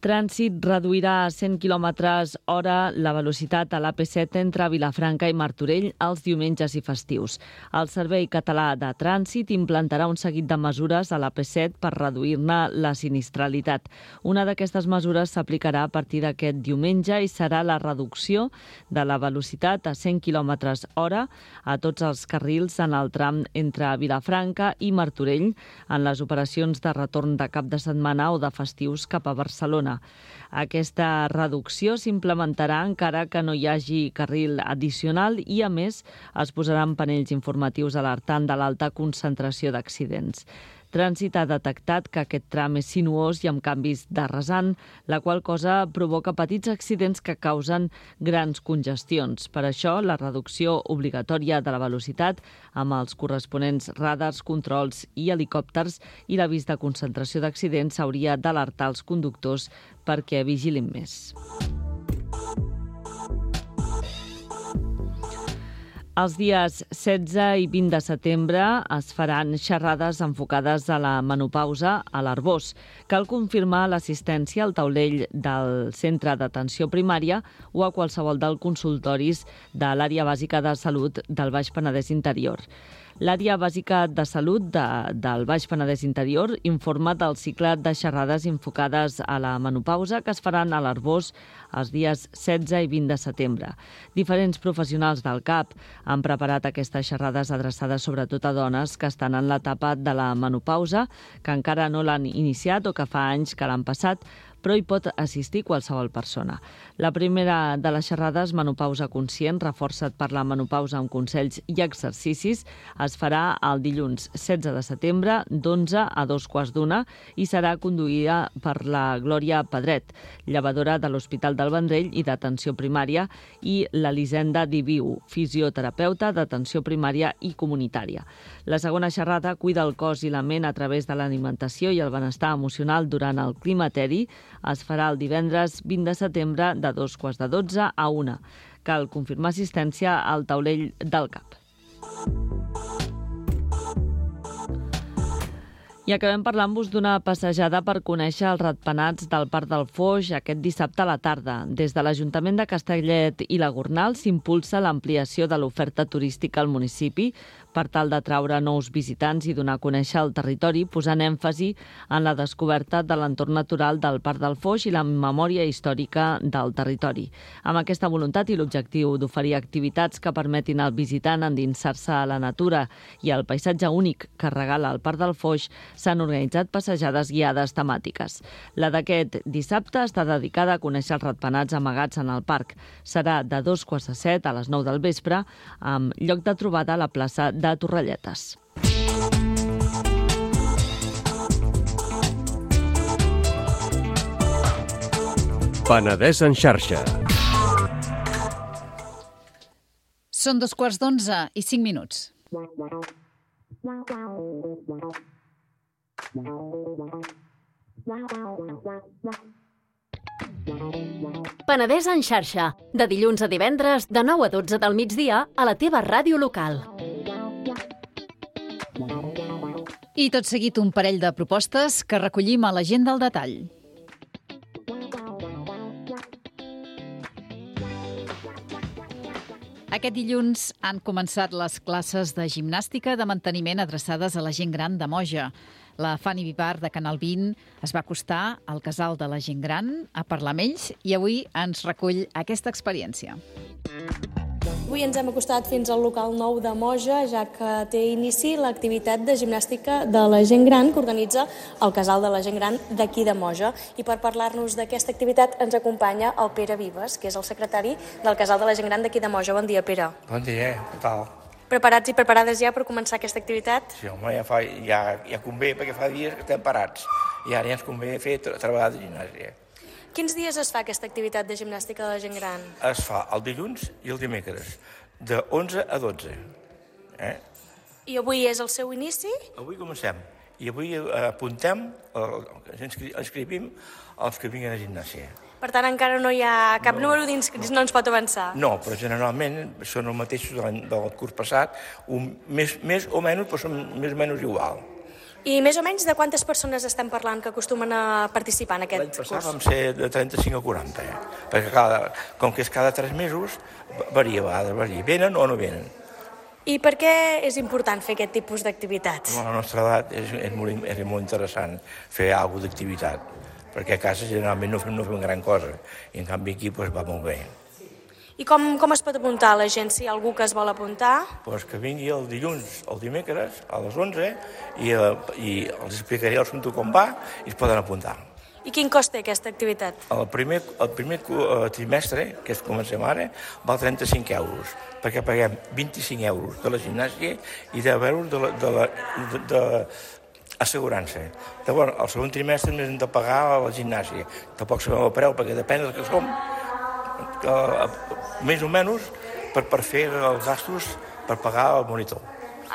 S2: Trànsit reduirà a cent quilòmetres hora la velocitat a l'A P set entre Vilafranca i Martorell els diumenges i festius. El Servei Català de Trànsit implantarà un seguit de mesures a l'A P set per reduir-ne la sinistralitat. Una d'aquestes mesures s'aplicarà a partir d'aquest diumenge i serà la reducció de la velocitat a cent quilòmetres hora a tots els carrils en el tram entre Vilafranca i Martorell en les operacions de retorn de cap de setmana o de festius cap a Barcelona. Aquesta reducció s'implementarà encara que no hi hagi carril addicional i, a més, es posaran panells informatius alertant de l'alta concentració d'accidents. Trànsit ha detectat que aquest tram és sinuós i amb canvis de rasant, la qual cosa provoca petits accidents que causen grans congestions. Per això, la reducció obligatòria de la velocitat amb els corresponents radars, controls i helicòpters i l'avís de concentració d'accidents s'hauria d'alertar els conductors perquè vigilin més. Els dies setze i vint de setembre es faran xerrades enfocades a la menopausa a l'Arboç. Cal confirmar l'assistència al taulell del centre d'atenció primària o a qualsevol dels consultoris de l'àrea bàsica de salut del Baix Penedès Interior. L'àrea bàsica de salut de, del Baix Penedès Interior informa del cicle de xerrades enfocades a la menopausa que es faran a l'Arboç els dies setze i vint de setembre. Diferents professionals del C A P han preparat aquestes xerrades adreçades sobretot a dones que estan en l'etapa de la menopausa, que encara no l'han iniciat o que fa anys que l'han passat, però hi pot assistir qualsevol persona. La primera de les xerrades, Menopausa Conscient, reforçat per la menopausa amb consells i exercicis, es farà el dilluns setze de setembre d'onze a dos quarts d'una i serà conduïda per la Glòria Pedret, llevadora de l'Hospital del Vendrell i d'Atenció Primària, i l'Elisenda Diviu, fisioterapeuta d'atenció primària i comunitària. La segona xerrada cuida el cos i la ment a través de l'alimentació i el benestar emocional durant el climateri. Es farà el divendres vint de setembre de dos quarts de dotze a una. Cal confirmar assistència al taulell del C A P. I acabem parlant-vos d'una passejada per conèixer els ratpenats del Parc del Foix aquest dissabte a la tarda. Des de l'Ajuntament de Castellet i la Gornal s'impulsa l'ampliació de l'oferta turística al municipi per tal d'atraure nous visitants i donar a conèixer el territori, posant èmfasi en la descoberta de l'entorn natural del Parc del Foix i la memòria històrica del territori. Amb aquesta voluntat i l'objectiu d'oferir activitats que permetin al visitant endinsar-se a la natura i al paisatge únic que regala el Parc del Foix, s'han organitzat passejades guiades temàtiques. La d'aquest dissabte està dedicada a conèixer els ratpenats amagats en el parc. Serà de dos quarts de set a les nou del vespre, amb lloc de trobada a la plaça de Torrelletes.
S1: Penedès en xarxa.
S4: Són dos quarts d'onze i cinc minuts.
S6: Penedès en xarxa, de dilluns a divendres de nou a dotze del migdia a la teva ràdio local.
S4: I tot seguit un parell de propostes que recollim a l'agenda al detall. Aquest dilluns han començat les classes de gimnàstica de manteniment adreçades a la gent gran de Moja. La Fanny Vivar de Canal vint es va acostar al casal de la gent gran a parlar amb ells i avui ens recull aquesta experiència.
S7: Avui ens hem acostat fins al local nou de Moja, ja que té inici l'activitat de gimnàstica de la gent gran que organitza el casal de la gent gran d'aquí de Moja. I per parlar-nos d'aquesta activitat ens acompanya el Pere Vives, que és el secretari del casal de la gent gran d'aquí de Moja. Bon dia, Pere.
S8: Bon dia, què tal?
S7: Preparats i preparades ja per començar aquesta activitat?
S8: Sí, home, ja, fa, ja, ja convé, perquè fa dies que estem parats. I ara ja ens convé fer treballar de gimnàsia.
S7: Quins dies es fa aquesta activitat de gimnàstica de la gent gran?
S8: Es fa el dilluns i el dimecres, de onze a dotze. Eh?
S7: I avui és el seu inici?
S8: Avui comencem. I avui apuntem, ens inscrivim els que vinguen a gimnàsia.
S7: Per tant, encara no hi ha cap no. número d'inscrits, no ens pot avançar?
S8: No, però generalment són els mateixos del curs passat, un, més, més o menys, però són més o menys igual.
S7: I més o menys de quantes persones estem parlant que acostumen a participar en aquest
S8: curs?
S7: curs?
S8: L'any passat vam ser de trenta-cinc a quaranta, eh? Perquè cada, com que és cada tres mesos, varia, va, varia. Venen o no venen.
S7: I per què és important fer aquest tipus d'activitats?
S8: A la nostra edat és, és, molt, és molt interessant fer alguna cosa d'activitat, perquè a casa generalment no fem, no fem gran cosa, i en canvi aquí doncs, va molt bé.
S7: I com, com es pot apuntar la gent, si hi ha algú que es vol apuntar?
S8: Pues que vingui el dilluns, el dimecres, a les onze, i, i els explicaré el assumpte com va i es poden apuntar.
S7: I quin cost té aquesta activitat?
S8: El primer, el primer trimestre, que és comencem ara, val trenta-cinc euros, perquè paguem vint-i-cinc euros de la gimnàsia i deu euros de la, de la, de, de assegurança. Llavors, el segon trimestre hem de pagar a la gimnàsia. Tampoc sabem el preu, perquè depèn del que som, que, més o menys per, per fer els gastos per pagar el monitor.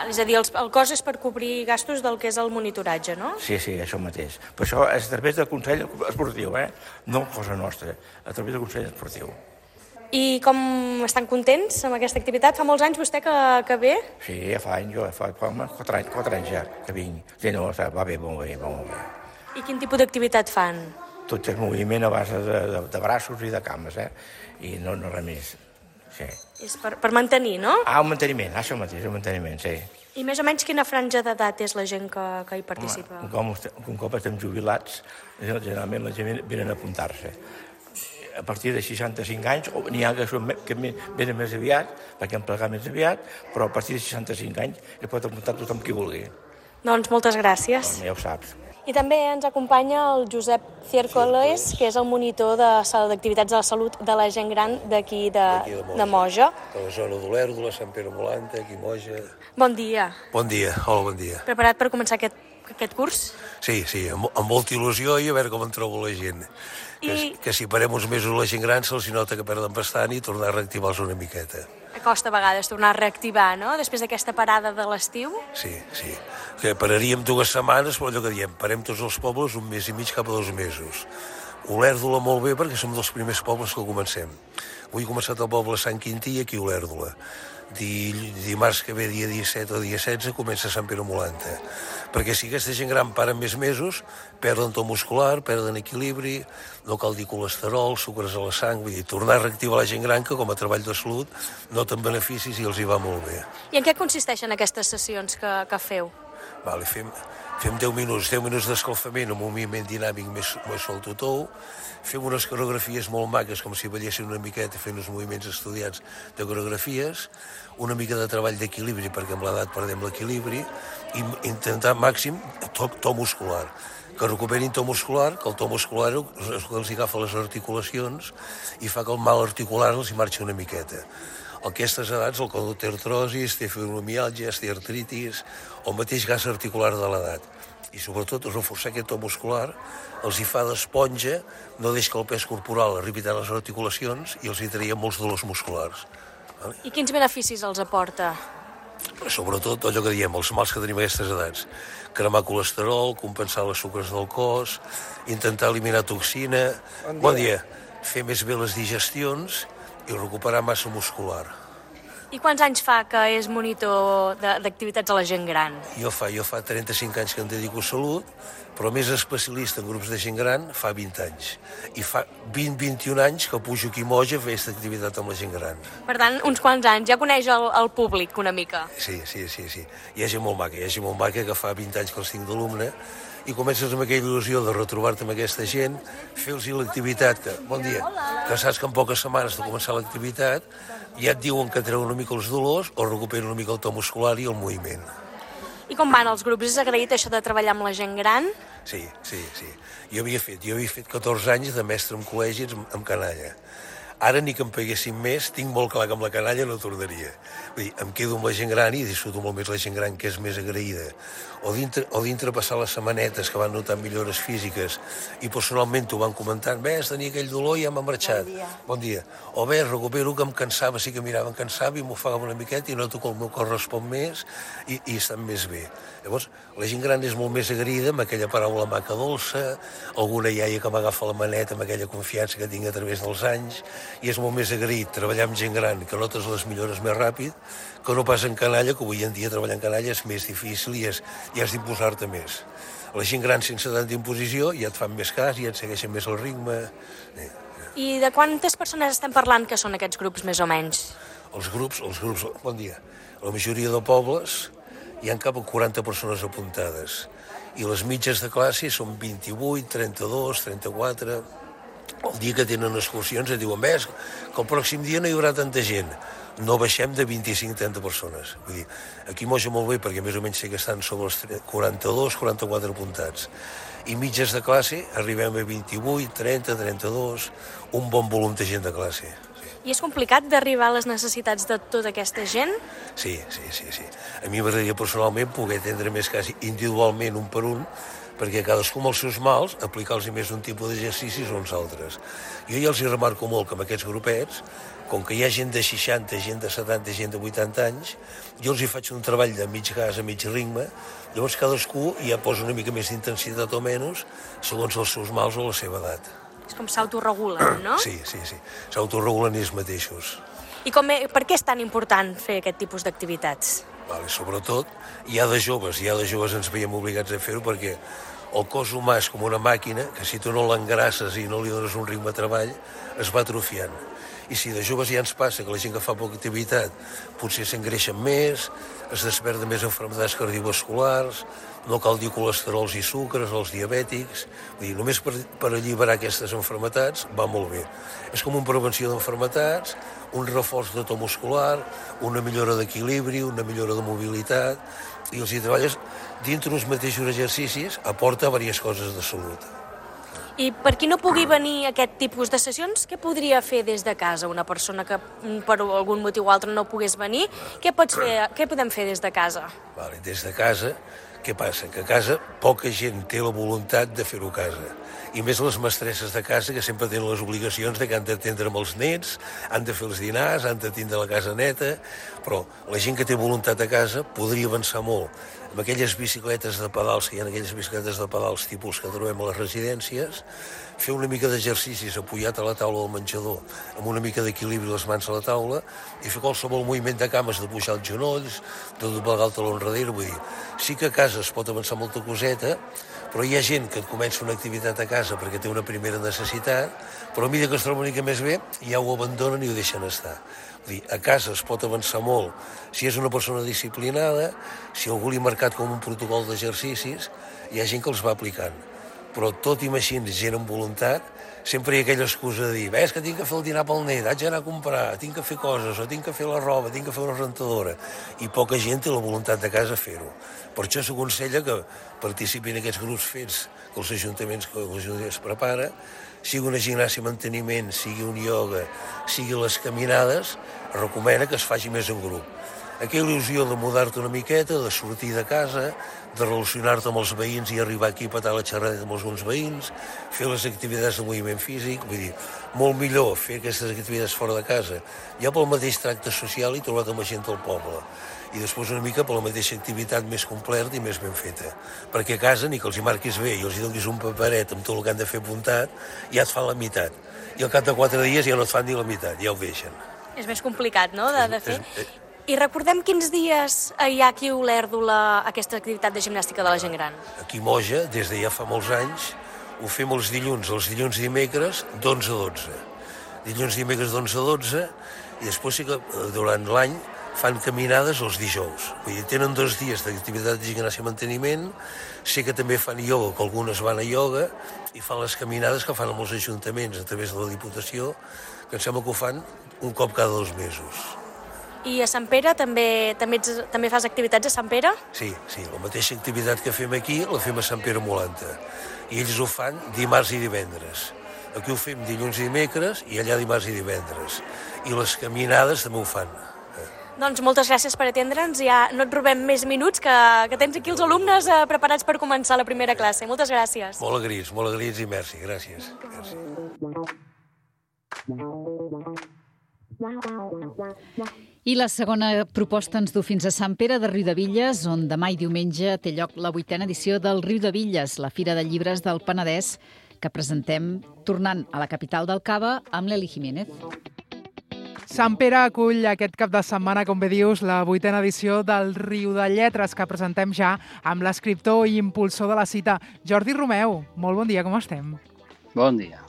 S7: És a dir, el, el cost és per cobrir gastos del que és el monitoratge, no?
S8: Sí, sí, això mateix. Però això és a través del Consell Esportiu, eh? No cosa nostra, a través del Consell Esportiu.
S7: I com estan contents amb aquesta activitat? Fa molts anys vostè que, que ve?
S8: Sí, ja fa anys, jo, fa, fa quatre, anys, quatre anys ja que vinc. Sí, no, va bé, molt bé, molt bé.
S7: I quin tipus d'activitat fan?
S8: Tot és moviment a base de, de, de braços i de cames, eh? I no, no res més. Sí.
S7: És per, per mantenir, no?
S8: Ah, un manteniment, això mateix, un manteniment, sí.
S7: I més o menys quina franja d'edat és la gent que, que hi participa?
S8: Home, com, un cop estem jubilats, generalment la gent venen a apuntar-se. A partir de seixanta-cinc anys, n'hi ha que, són, que venen més aviat, perquè han plegat més aviat, però a partir de seixanta-cinc anys es pot apuntar tothom qui vulgui.
S7: Doncs moltes gràcies.
S8: Home, ja ho saps.
S7: I també ens acompanya el Josep Ciercoles, que és el monitor d'activitats de la salut de la gent gran d'aquí de, de, de Moja.
S9: De la zona d'Olèrdola, Sant Pere Molanta, aquí Moja.
S7: Bon dia.
S9: Bon dia, hola, bon dia.
S7: Preparat per començar aquest, aquest curs?
S9: Sí, sí, amb, amb molta il·lusió i a veure com en trobo la gent. Que, I... que si parem uns mesos la gent gran se'ls nota que perden bastant i tornar a reactivar-los una miqueta.
S7: Costa a vegades tornar a reactivar, no?, després d'aquesta parada de l'estiu.
S9: Sí, sí. Que pararíem dues setmanes, però allò que diem, parem tots els pobles un mes i mig cap a dos mesos. Olèrdola molt bé perquè som dels primers pobles que comencem. Avui he començat el poble Sant Quintí, aquí a Olèrdola. Dimarts que ve, dia disset o dia setze, comença Sant Pere Molanta. Perquè si aquesta gent gran para més mesos, perden to muscular, perden equilibri, no cal dir colesterol, sucres a la sang, vull dir, tornar a reactivar la gent gran que com a treball de salut noten beneficis i els hi va molt bé.
S7: I en què consisteixen aquestes sessions que, que feu?
S9: Vale, fem, fem deu minuts, deu minuts d'escalfament amb un moviment dinàmic més, més soltotou, fem unes coreografies molt maques, com si ballessin una miqueta fent uns moviments estudiats de coreografies, una mica de treball d'equilibri, perquè amb l'edat perdem l'equilibri, i intentar màxim to, to muscular, que recuperin to muscular, que el to muscular els agafa les articulacions i fa que el mal articular els hi marxi una miqueta. A aquestes edats el còdol té artrosis, té fibromiàlgia, té artritis, o el mateix gas articular de l'edat. I sobretot reforçar aquest to muscular els hi fa d'esponja, no deixa que el pes corporal arribi tant a les articulacions i els hi traia molts dolors musculars. Vale?
S7: I quins beneficis els aporta?
S9: Sobretot allò que diem, els mals que tenim a aquestes edats. Cremar colesterol, compensar les sucres del cos, intentar eliminar toxina... Bon dia. Bon dia. Fer més bé les digestions i recuperar massa muscular.
S7: I quants anys fa que és monitor d'activitats a la gent gran?
S9: Jo fa, jo fa trenta-cinc anys que em dedico a salut, però més especialista en grups de gent gran fa vint anys. I fa vint a vint i un anys que pujo aquí a Moja a fer aquesta activitat amb la gent gran.
S7: Per tant, uns quants anys. Ja coneix el, el públic una mica.
S9: Sí, sí, sí, sí. Hi ha gent molt maca, hi ha gent molt maca que fa vint anys que els tinc d'alumne i comences amb aquella il·lusió de retrobar-te amb aquesta gent, fer-los l'activitat, que, bon dia, que saps que en poques setmanes de començar l'activitat ja et diuen que treu una mica els dolors o recupera una mica el to muscular i el moviment.
S7: I com van els grups? És agraït això de treballar amb la gent gran?
S9: Sí, sí, sí. Jo havia fet, jo havia fet catorze anys de mestre en col·legis amb canalla. Ara ni que em paguessin més, tinc molt clar que amb la canalla no tornaria. Vull dir, em quedo amb la gent gran i disfruto molt més la gent gran, que és més agraïda. O dintre, o dintre passar les setmanetes que van notar millores físiques i personalment t'ho van comentant, ves, tenia aquell dolor i ja m'ha marxat. Bon dia. Bon dia. O ves, recupero que em cansava, sí que mirava, em cansava i m'ofegava una miqueta i noto que el meu cor respon més i, i estan més bé. Llavors, la gent gran és molt més agraïda amb aquella paraula maca dolça, alguna iaia que m'agafa la maneta amb aquella confiança que tinc a través dels anys, i és molt més agraït treballar amb gent gran, que notes les millores més ràpid, que no pas en canalla, que avui en dia treballar en canalla és més difícil i, és, i has d'imposar-te més. La gent gran sense tanta imposició ja et fan més cas, ja et segueixen més el ritme. Eh.
S7: I de quantes persones estem parlant que són aquests grups, més o menys?
S9: Els grups, els grups, bon dia, la majoria de pobles hi ha cap a quaranta persones apuntades i les mitges de classe són vint-i-vuit, trenta-dos, trenta-quatre... El dia que tenen excursions et diuen, ves, que el pròxim dia no hi haurà tanta gent. No baixem de vint-i-cinc a trenta persones. Vull dir, aquí Moja molt bé, perquè més o menys sé que estan sobre els quaranta-dos, quaranta-quatre apuntats. I mitges de classe arribem a vint-i-vuit, trenta, trenta-dos, un bon volum de gent de classe.
S7: I és complicat d'arribar a les necessitats de tota aquesta gent?
S9: Sí, sí, sí, sí. A mi m'agradaria personalment poder atendre més quasi individualment un per un, perquè cadascú amb els seus mals aplicar-los més un tipus d'exercicis o uns altres. Jo ja els hi remarco molt que amb aquests grupets, com que hi ha gent de seixanta, gent de setanta, gent de vuitanta anys, jo els hi faig un treball de mig gas a mig ritme, llavors cadascú ja posa una mica més d'intensitat o menys segons els seus mals o la seva edat.
S7: És com s'autoregulen, no?
S9: Sí, sí, sí. S'autoregulen ells mateixos.
S7: I com, per què és tan important fer aquest tipus d'activitats?
S9: Vale, sobretot, ja de joves, ja de joves ens veiem obligats a fer-ho perquè el cos humà és com una màquina que si tu no l'engrasses i no li dones un ritme de treball, es va atrofiant. I si de joves ja ens passa que la gent que fa poca activitat potser s'engreixen més, es desperten més malalties cardiovasculars, no cal dir colesterols i sucres, els diabètics... Vull dir, només per, per alliberar aquestes malalties va molt bé. És com una prevenció d'malalties, un reforç de to muscular, una millora d'equilibri, una millora de mobilitat, i els hi treballes dintre uns mateixos exercicis, aporta diverses coses de salut.
S7: I per qui no pugui venir a aquest tipus de sessions, què podria fer des de casa una persona que per algun motiu o altre no pogués venir? Què pots fer, què podem fer des de casa?
S9: Vale, des de casa, què passa? Que a casa poca gent té la voluntat de fer-ho a casa. I més les mestresses de casa que sempre tenen les obligacions de que han d'atendre amb els nets, han de fer els dinars, han de tindre la casa neta, però la gent que té voluntat a casa podria avançar molt. Amb aquelles bicicletes de pedals, que hi ha aquelles bicicletes de pedals tipus que trobem a les residències, fer una mica d'exercicis apoyat a la taula del menjador, amb una mica d'equilibri les mans a la taula, i fer qualsevol moviment de cames, de pujar els genolls, de doblegar el taló enrere, vull dir, sí que a casa es pot avançar molta coseta, però hi ha gent que et comença una activitat a casa perquè té una primera necessitat, però a mesura que es troba una mica més bé, ja ho abandonen i ho deixen estar. Vull dir, a casa es pot avançar molt si és una persona disciplinada, si algú li ha marcat com un protocol d'exercicis, hi ha gent que els va aplicant. Però tot i així, gent amb voluntat, sempre hi ha aquella excusa de dir, ves que tinc que fer el dinar pel net, haig d'anar a comprar, tinc que fer coses, o tinc que fer la roba, tinc que fer una rentadora, i poca gent té la voluntat de casa fer-ho. Per això s'aconsella que participin en aquests grups fets que els ajuntaments que els ajuntaments prepara, sigui una gimnàsia manteniment, sigui un ioga, sigui les caminades, es recomana que es faci més en grup. Aquella il·lusió de mudar-te una miqueta, de sortir de casa, de relacionar-te amb els veïns i arribar aquí a petar la xerrada amb alguns veïns, fer les activitats de moviment físic, vull dir, molt millor fer aquestes activitats fora de casa, ja pel mateix tracte social i trobat amb la gent del poble. I després una mica per la mateixa activitat més completa i més ben feta. Perquè a casa ni que els hi marquis bé i els hi donis un paperet amb tot el que han de fer apuntat, ja et fan la meitat. I al cap de quatre dies ja no et fan ni la meitat, ja ho deixen.
S7: És més complicat, no?, de, de fer.
S9: És, és,
S7: I recordem quins dies hi ha aquí a Olèrdola aquesta activitat de gimnàstica de la gent gran?
S9: Aquí a Moja, des de ja fa molts anys, ho fem els dilluns, els dilluns i dimecres, d'onze a dotze. Dilluns i dimecres d'onze a dotze, i després sí que durant l'any fan caminades els dijous. Vull dir, tenen dos dies d'activitat de gimnàsia i manteniment, sé que també fan ioga, que algunes van a ioga, i fan les caminades que fan amb els ajuntaments a través de la Diputació, que em sembla que ho fan un cop cada dos mesos.
S7: I a Sant Pere també, també, ets, també fas activitats a Sant Pere?
S9: Sí, sí, la mateixa activitat que fem aquí la fem a Sant Pere Molanta. I ells ho fan dimarts i divendres. Aquí ho fem dilluns i dimecres i allà dimarts i divendres. I les caminades també ho fan.
S7: Doncs moltes gràcies per atendre'ns. Ja no et robem més minuts, que, que tens aquí els alumnes eh, preparats per començar la primera classe. Moltes gràcies.
S9: Molt agraïts, molt agraïts i merci. Gràcies. Gràcies.
S4: I la segona proposta ens du fins a Sant Pere de Riudebitlles, on demà i diumenge té lloc la vuitena edició del Riudebitlles, la Fira de Llibres del Penedès, que presentem tornant a la capital del Cava amb l'Eli Jiménez.
S10: Sant Pere acull aquest cap de setmana, com bé dius, la vuitena edició del Riu de Lletres, que presentem ja amb l'escriptor i impulsor de la cita, Jordi Romeu. Molt bon dia, com estem?
S11: Bon dia.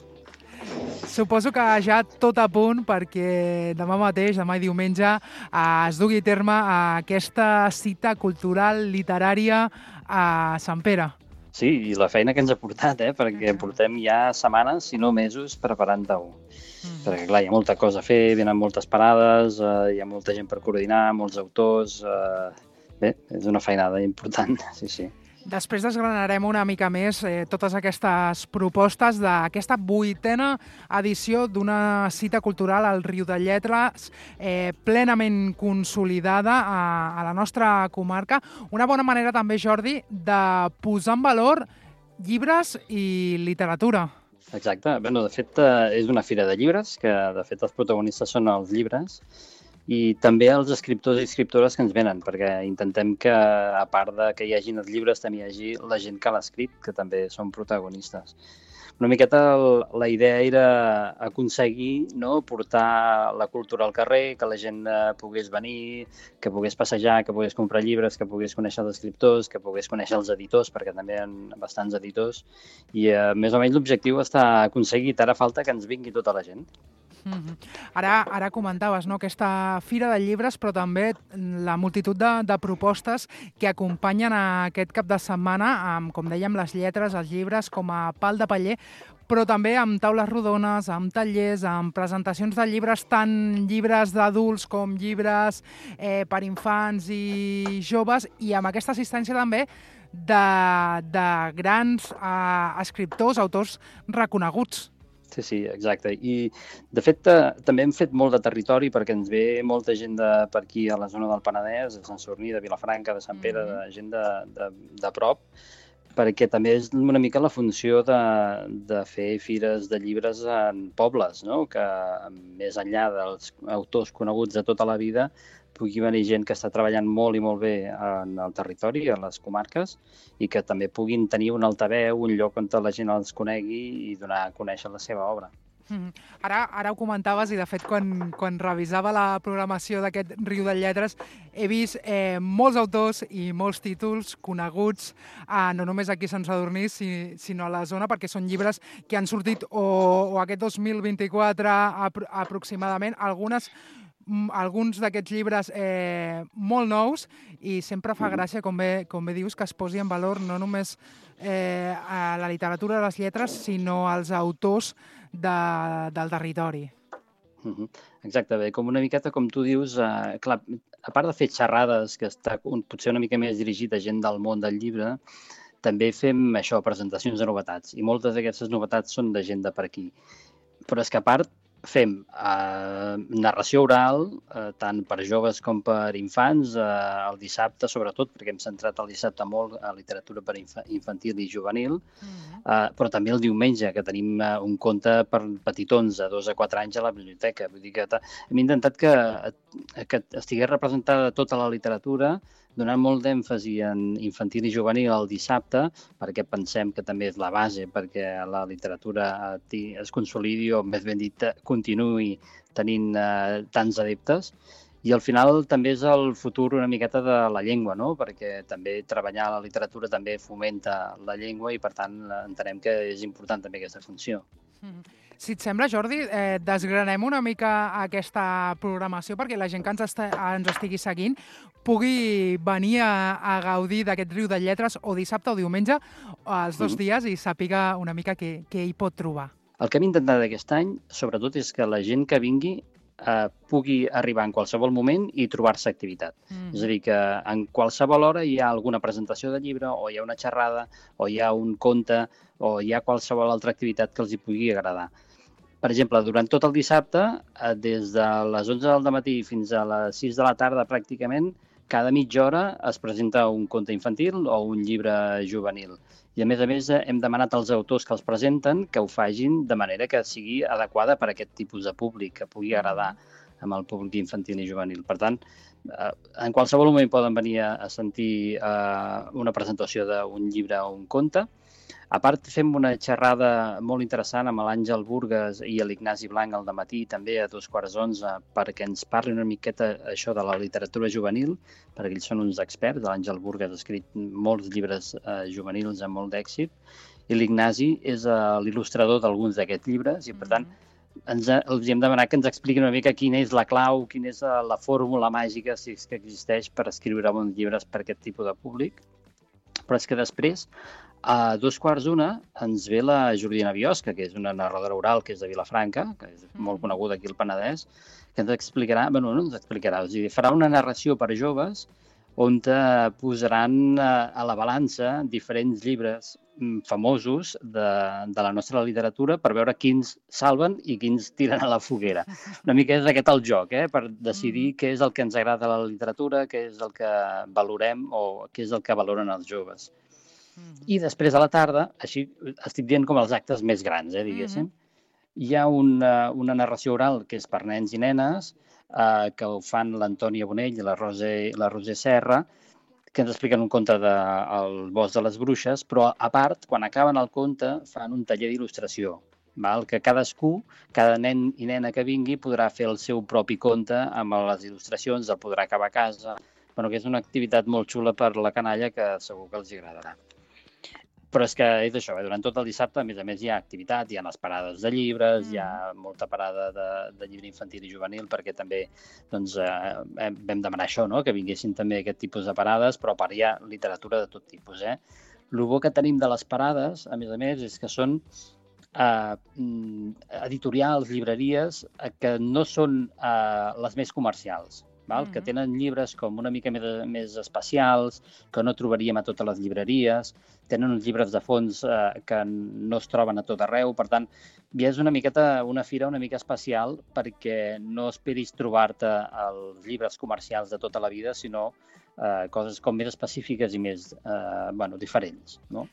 S10: Suposo que ja tot a punt perquè demà mateix, demà i diumenge, es dugui a terme aquesta cita cultural literària a Sant Pere.
S11: Sí, i la feina que ens ha portat, eh? Perquè portem ja setmanes, si no mesos, preparant-ho. Mm. Perquè, clar, hi ha molta cosa a fer, venen moltes parades, eh, hi ha molta gent per coordinar, molts autors... Eh... Bé, és una feinada important, sí, sí.
S10: Després desgranarem una mica més eh, totes aquestes propostes d'aquesta vuitena edició d'una cita cultural al Riu de Lletres eh, plenament consolidada a, a la nostra comarca. Una bona manera també, Jordi, de posar en valor llibres i literatura.
S11: Exacte. Bé, de fet, eh, és una fira de llibres, que de fet els protagonistes són els llibres, i també els escriptors i escriptores que ens venen, perquè intentem que, a part de que hi hagin els llibres, també hi hagi la gent que l'ha escrit, que també són protagonistes. Una miqueta el, la idea era aconseguir, no, portar la cultura al carrer, que la gent eh, pogués venir, que pogués passejar, que pogués comprar llibres, que pogués conèixer els escriptors, que pogués conèixer els editors, perquè també hi ha bastants editors, i eh, més o menys l'objectiu està aconseguit. Ara falta que ens vingui tota la gent.
S10: Mm-hmm. Ara, ara comentaves, no?, aquesta fira de llibres, però també la multitud de, de propostes que acompanyen aquest cap de setmana amb, com dèiem, les lletres, els llibres com a pal de paller, però també amb taules rodones, amb tallers, amb presentacions de llibres, tant llibres d'adults com llibres eh, per infants i joves, i amb aquesta assistència també de, de grans eh, escriptors, autors reconeguts.
S11: Sí, sí, exacte. I, de fet, eh, també hem fet molt de territori perquè ens ve molta gent de, per aquí a la zona del Penedès, de Sant Sadurní, de Vilafranca, de Sant Pere, de gent de, de, de prop, perquè també és una mica la funció de, de fer fires de llibres en pobles, no? Que més enllà dels autors coneguts de tota la vida pugui venir gent que està treballant molt i molt bé en el territori, a les comarques, i que també puguin tenir un altaveu, un lloc on la gent els conegui i donar a conèixer la seva obra.
S10: Mm-hmm. Ara, ara ho comentaves i, de fet, quan, quan revisava la programació d'aquest Riu de Lletres, he vist eh, molts autors i molts títols coneguts, eh, no només aquí a Sant Sadurní, si, sinó a la zona, perquè són llibres que han sortit o, o aquest dos mil vint-i-quatre apro aproximadament, algunes alguns d'aquests llibres eh, molt nous, i sempre fa gràcia, com bé, com bé dius, que es posi en valor no només eh, a la literatura de les lletres, sinó als autors de, del territori.
S11: Uh-huh. Exacte, bé, com una miqueta com tu dius, eh, clar, a part de fer xerrades, que està un, potser una mica més dirigit a gent del món del llibre, també fem això, presentacions de novetats, i moltes d'aquestes novetats són de gent de per aquí. Però és que a part fem eh, narració oral, eh, tant per joves com per infants, eh, el dissabte sobretot, perquè hem centrat el dissabte molt a literatura per inf infantil i juvenil, mm-hmm. eh, però també el diumenge, que tenim eh, un conte per petitons de dos a quatre anys a la biblioteca. Vull dir que hem intentat que, que estigués representada tota la literatura, donant molt d'èmfasi en infantil i juvenil el dissabte, perquè pensem que també és la base perquè la literatura es consolidi, o més ben dit, continuï tenint eh, tants adeptes. I al final també és el futur una miqueta de la llengua, no? Perquè també treballar la literatura també fomenta la llengua i, per tant, entenem que és important també aquesta funció.
S10: Si et sembla, Jordi, eh, desgranem una mica aquesta programació perquè la gent que ens, est ens estigui seguint pugui venir a, a gaudir d'aquest Riu de Lletres o dissabte o diumenge, els dos mm. dies, i sàpiga una mica què, què hi pot trobar.
S11: El que hem intentat aquest any, sobretot, és que la gent que vingui eh, pugui arribar en qualsevol moment i trobar-se activitat. Mm. És a dir, que en qualsevol hora hi ha alguna presentació de llibre, o hi ha una xerrada, o hi ha un conte, o hi ha qualsevol altra activitat que els hi pugui agradar. Per exemple, durant tot el dissabte, eh, des de les onze del matí fins a les sis de la tarda pràcticament, cada mitja hora es presenta un conte infantil o un llibre juvenil. I, a més a més, hem demanat als autors que els presenten que ho fagin de manera que sigui adequada per a aquest tipus de públic, que pugui agradar amb el públic infantil i juvenil. Per tant, en qualsevol moment poden venir a sentir una presentació d'un llibre o un conte. A part, fem una xerrada molt interessant amb l'Àngel Burgues i l'Ignasi Blanc al dematí, també a dos quarts onze, perquè ens parli una miqueta això de la literatura juvenil, perquè ells són uns experts. L'Àngel Burgues ha escrit molts llibres eh, juvenils amb molt d'èxit, i l'Ignasi és eh, l'il·lustrador d'alguns d'aquests llibres, i per tant ens, els hem demanat que ens expliquin una mica quina és la clau, quina és la fórmula màgica, si és que existeix, per escriure bons llibres per aquest tipus de públic. Però és que després, a dos quarts d'una, ens ve la Jordina Biosca, que és una narradora oral que és de Vilafranca, que és molt coneguda aquí al Penedès, que ens explicarà, bueno, no ens explicarà, o sigui, farà una narració per a joves on posaran a la balança diferents llibres famosos de, de la nostra literatura per veure quins salven i quins tiren a la foguera. Una mica és aquest el joc, eh? Per decidir què és el que ens agrada a la literatura, què és el que valorem o què és el que valoren els joves. I després a la tarda, així estic dient com els actes més grans, eh, diguéssim, hi ha una, una narració oral que és per nens i nenes, eh, que ho fan l'Antònia Bonell i la Roser, la Roser Serra, que ens expliquen un conte del Bosc de les Bruixes, però a part, quan acaben el conte, fan un taller d'il·lustració, que cadascú, cada nen i nena que vingui, podrà fer el seu propi conte amb les il·lustracions, el podrà acabar a casa, bueno, que és una activitat molt xula per la canalla que segur que els agradarà. Però és que és això, eh? Durant tot el dissabte, a més a més, hi ha activitat, hi ha les parades de llibres, mm. hi ha molta parada de, de llibre infantil i juvenil, perquè també doncs, eh, vam demanar això, no? Que vinguessin també aquest tipus de parades, però a part hi ha literatura de tot tipus. Eh? El bo que tenim de les parades, a més a més, és que són eh, editorials, llibreries, eh, que no són eh, les més comercials. Val? Mm-hmm. Que tenen llibres com una mica més, més especials, que no trobaríem a totes les llibreries, tenen uns llibres de fons eh, que no es troben a tot arreu, per tant, ja és una miqueta una fira una mica especial perquè no esperis trobar-te els llibres comercials de tota la vida, sinó eh, coses com més específiques i més eh, bueno, diferents, no?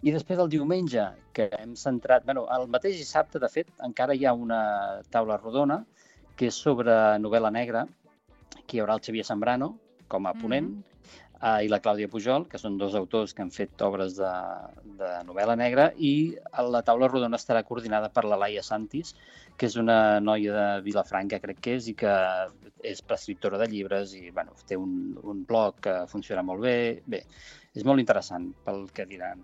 S11: I després el diumenge, que hem centrat... Bueno, el mateix dissabte, de fet, encara hi ha una taula rodona que és sobre novel·la negra, que hi haurà el Xavier Zambrano com a ponent, mm-hmm. eh, i la Clàudia Pujol, que són dos autors que han fet obres de, de novel·la negra, i la taula rodona estarà coordinada per la Laia Santis, que és una noia de Vilafranca, crec que és, i que és prescriptora de llibres i bueno, té un, un blog que funciona molt bé. Bé, és molt interessant pel que diran.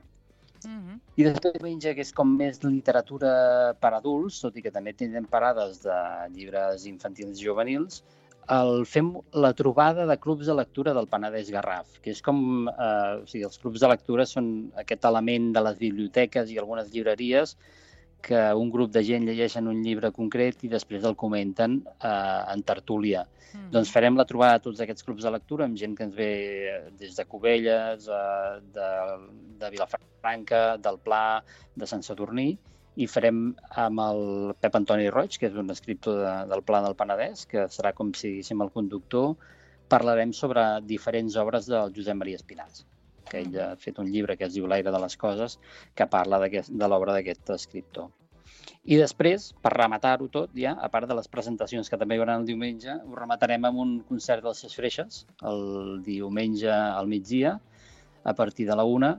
S11: Mm-hmm. I després diumenge, que és com més literatura per adults, tot i que també tindrem parades de llibres infantils i juvenils, el, fem la trobada de clubs de lectura del Penedès Garraf, que és com... Eh, o sigui, els clubs de lectura són aquest element de les biblioteques i algunes llibreries que un grup de gent llegeixen un llibre concret i després el comenten eh, en tertúlia. Mm. Doncs farem la trobada de tots aquests clubs de lectura amb gent que ens ve des de Cubelles, eh, de, de Vilafranca, del Pla, de Sant Sadurní, i farem amb el Pep Antoni Roig, que és un escriptor de, del Pla del Penedès, que serà com si diguéssim el conductor. Parlarem sobre diferents obres del Josep Maria Espinàs, que ell ha fet un llibre que es diu L'aire de les coses, que parla de l'obra d'aquest escriptor. I després, per rematar-ho tot, ja, a part de les presentacions que també hi haurà el diumenge, ho rematarem amb un concert dels Ses Freixes, el diumenge al migdia, a partir de la una,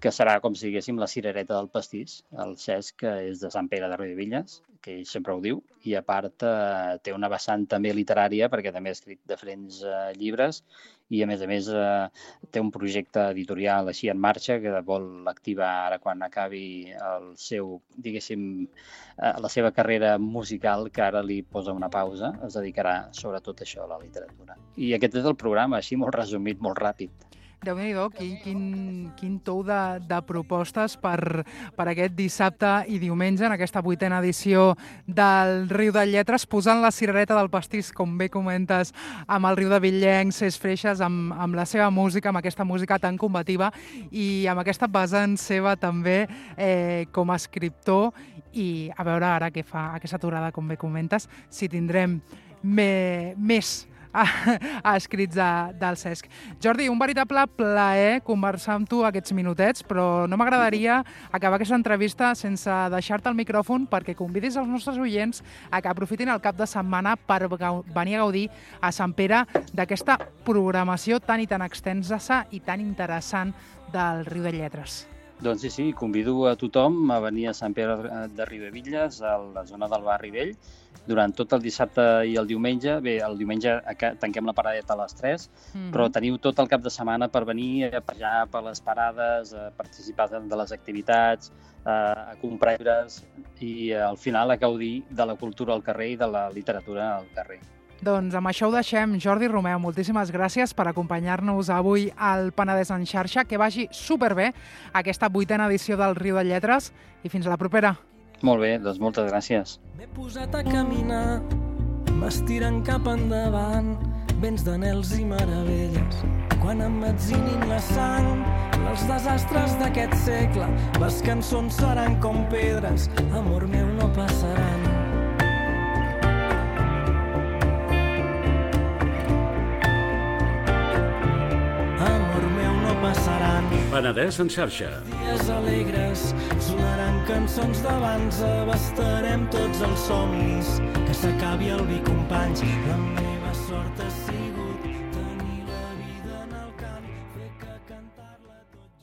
S11: que serà com si diguéssim la cirereta del pastís. El Cesc, que és de Sant Pere de Riudebitlles, que ell sempre ho diu, i a part eh, té una vessant també literària, perquè també ha escrit diferents eh, llibres, i a més a més eh, té un projecte editorial així en marxa que vol activar ara quan acabi el seu, diguéssim, eh, la seva carrera musical, que ara li posa una pausa, es dedicarà sobretot a això, a la literatura. I aquest és el programa, així molt resumit, molt ràpid.
S10: Déu-n'hi-do, quin, quin, quin tou de, de propostes per, per aquest dissabte i diumenge en aquesta vuitena edició del Riu de Lletres, posant la cirereta del pastís, com bé comentes, amb el Riu de Villencs, Cesc Freixas, amb, amb la seva música, amb aquesta música tan combativa i amb aquesta vessant seva també eh, com a escriptor, i a veure ara què fa aquesta aturada, com bé comentes, si tindrem me, més a, a escrits de, del Cesc. Jordi, un veritable plaer conversar amb tu aquests minutets, però no m'agradaria acabar aquesta entrevista sense deixar-te el micròfon perquè convidis els nostres oients a que aprofitin el cap de setmana per venir a gaudir a Sant Pere d'aquesta programació tan i tan extensa i tan interessant del Riu de Lletres.
S11: Doncs sí, sí, convido a tothom a venir a Sant Pere de Riudebitlles, a la zona del Barri Vell, durant tot el dissabte i el diumenge. Bé, el diumenge tanquem la paradeta a les tres, mm-hmm. però teniu tot el cap de setmana per venir a passejar per les parades, a participar de les activitats, a comprar llibres i al final a gaudir de la cultura al carrer i de la literatura al carrer.
S10: Doncs amb això ho deixem. Jordi Romeu, moltíssimes gràcies per acompanyar-nos avui al Penedès en xarxa. Que vagi superbé aquesta vuitena edició del Riu de Lletres i fins a la propera.
S11: Molt bé, doncs moltes gràcies.
S12: M'he posat a caminar, m'estiren cap endavant, vents d'anels i meravelles. Quan emmetzinin la sang, els desastres d'aquest segle, les cançons seran com pedres, amor meu, no passaran. Passaran.
S3: Penedès en xarxa.
S12: Dies alegres, sonaran cançons d'abans, abastarem tots els somnis, que s'acabi el vi, companys, la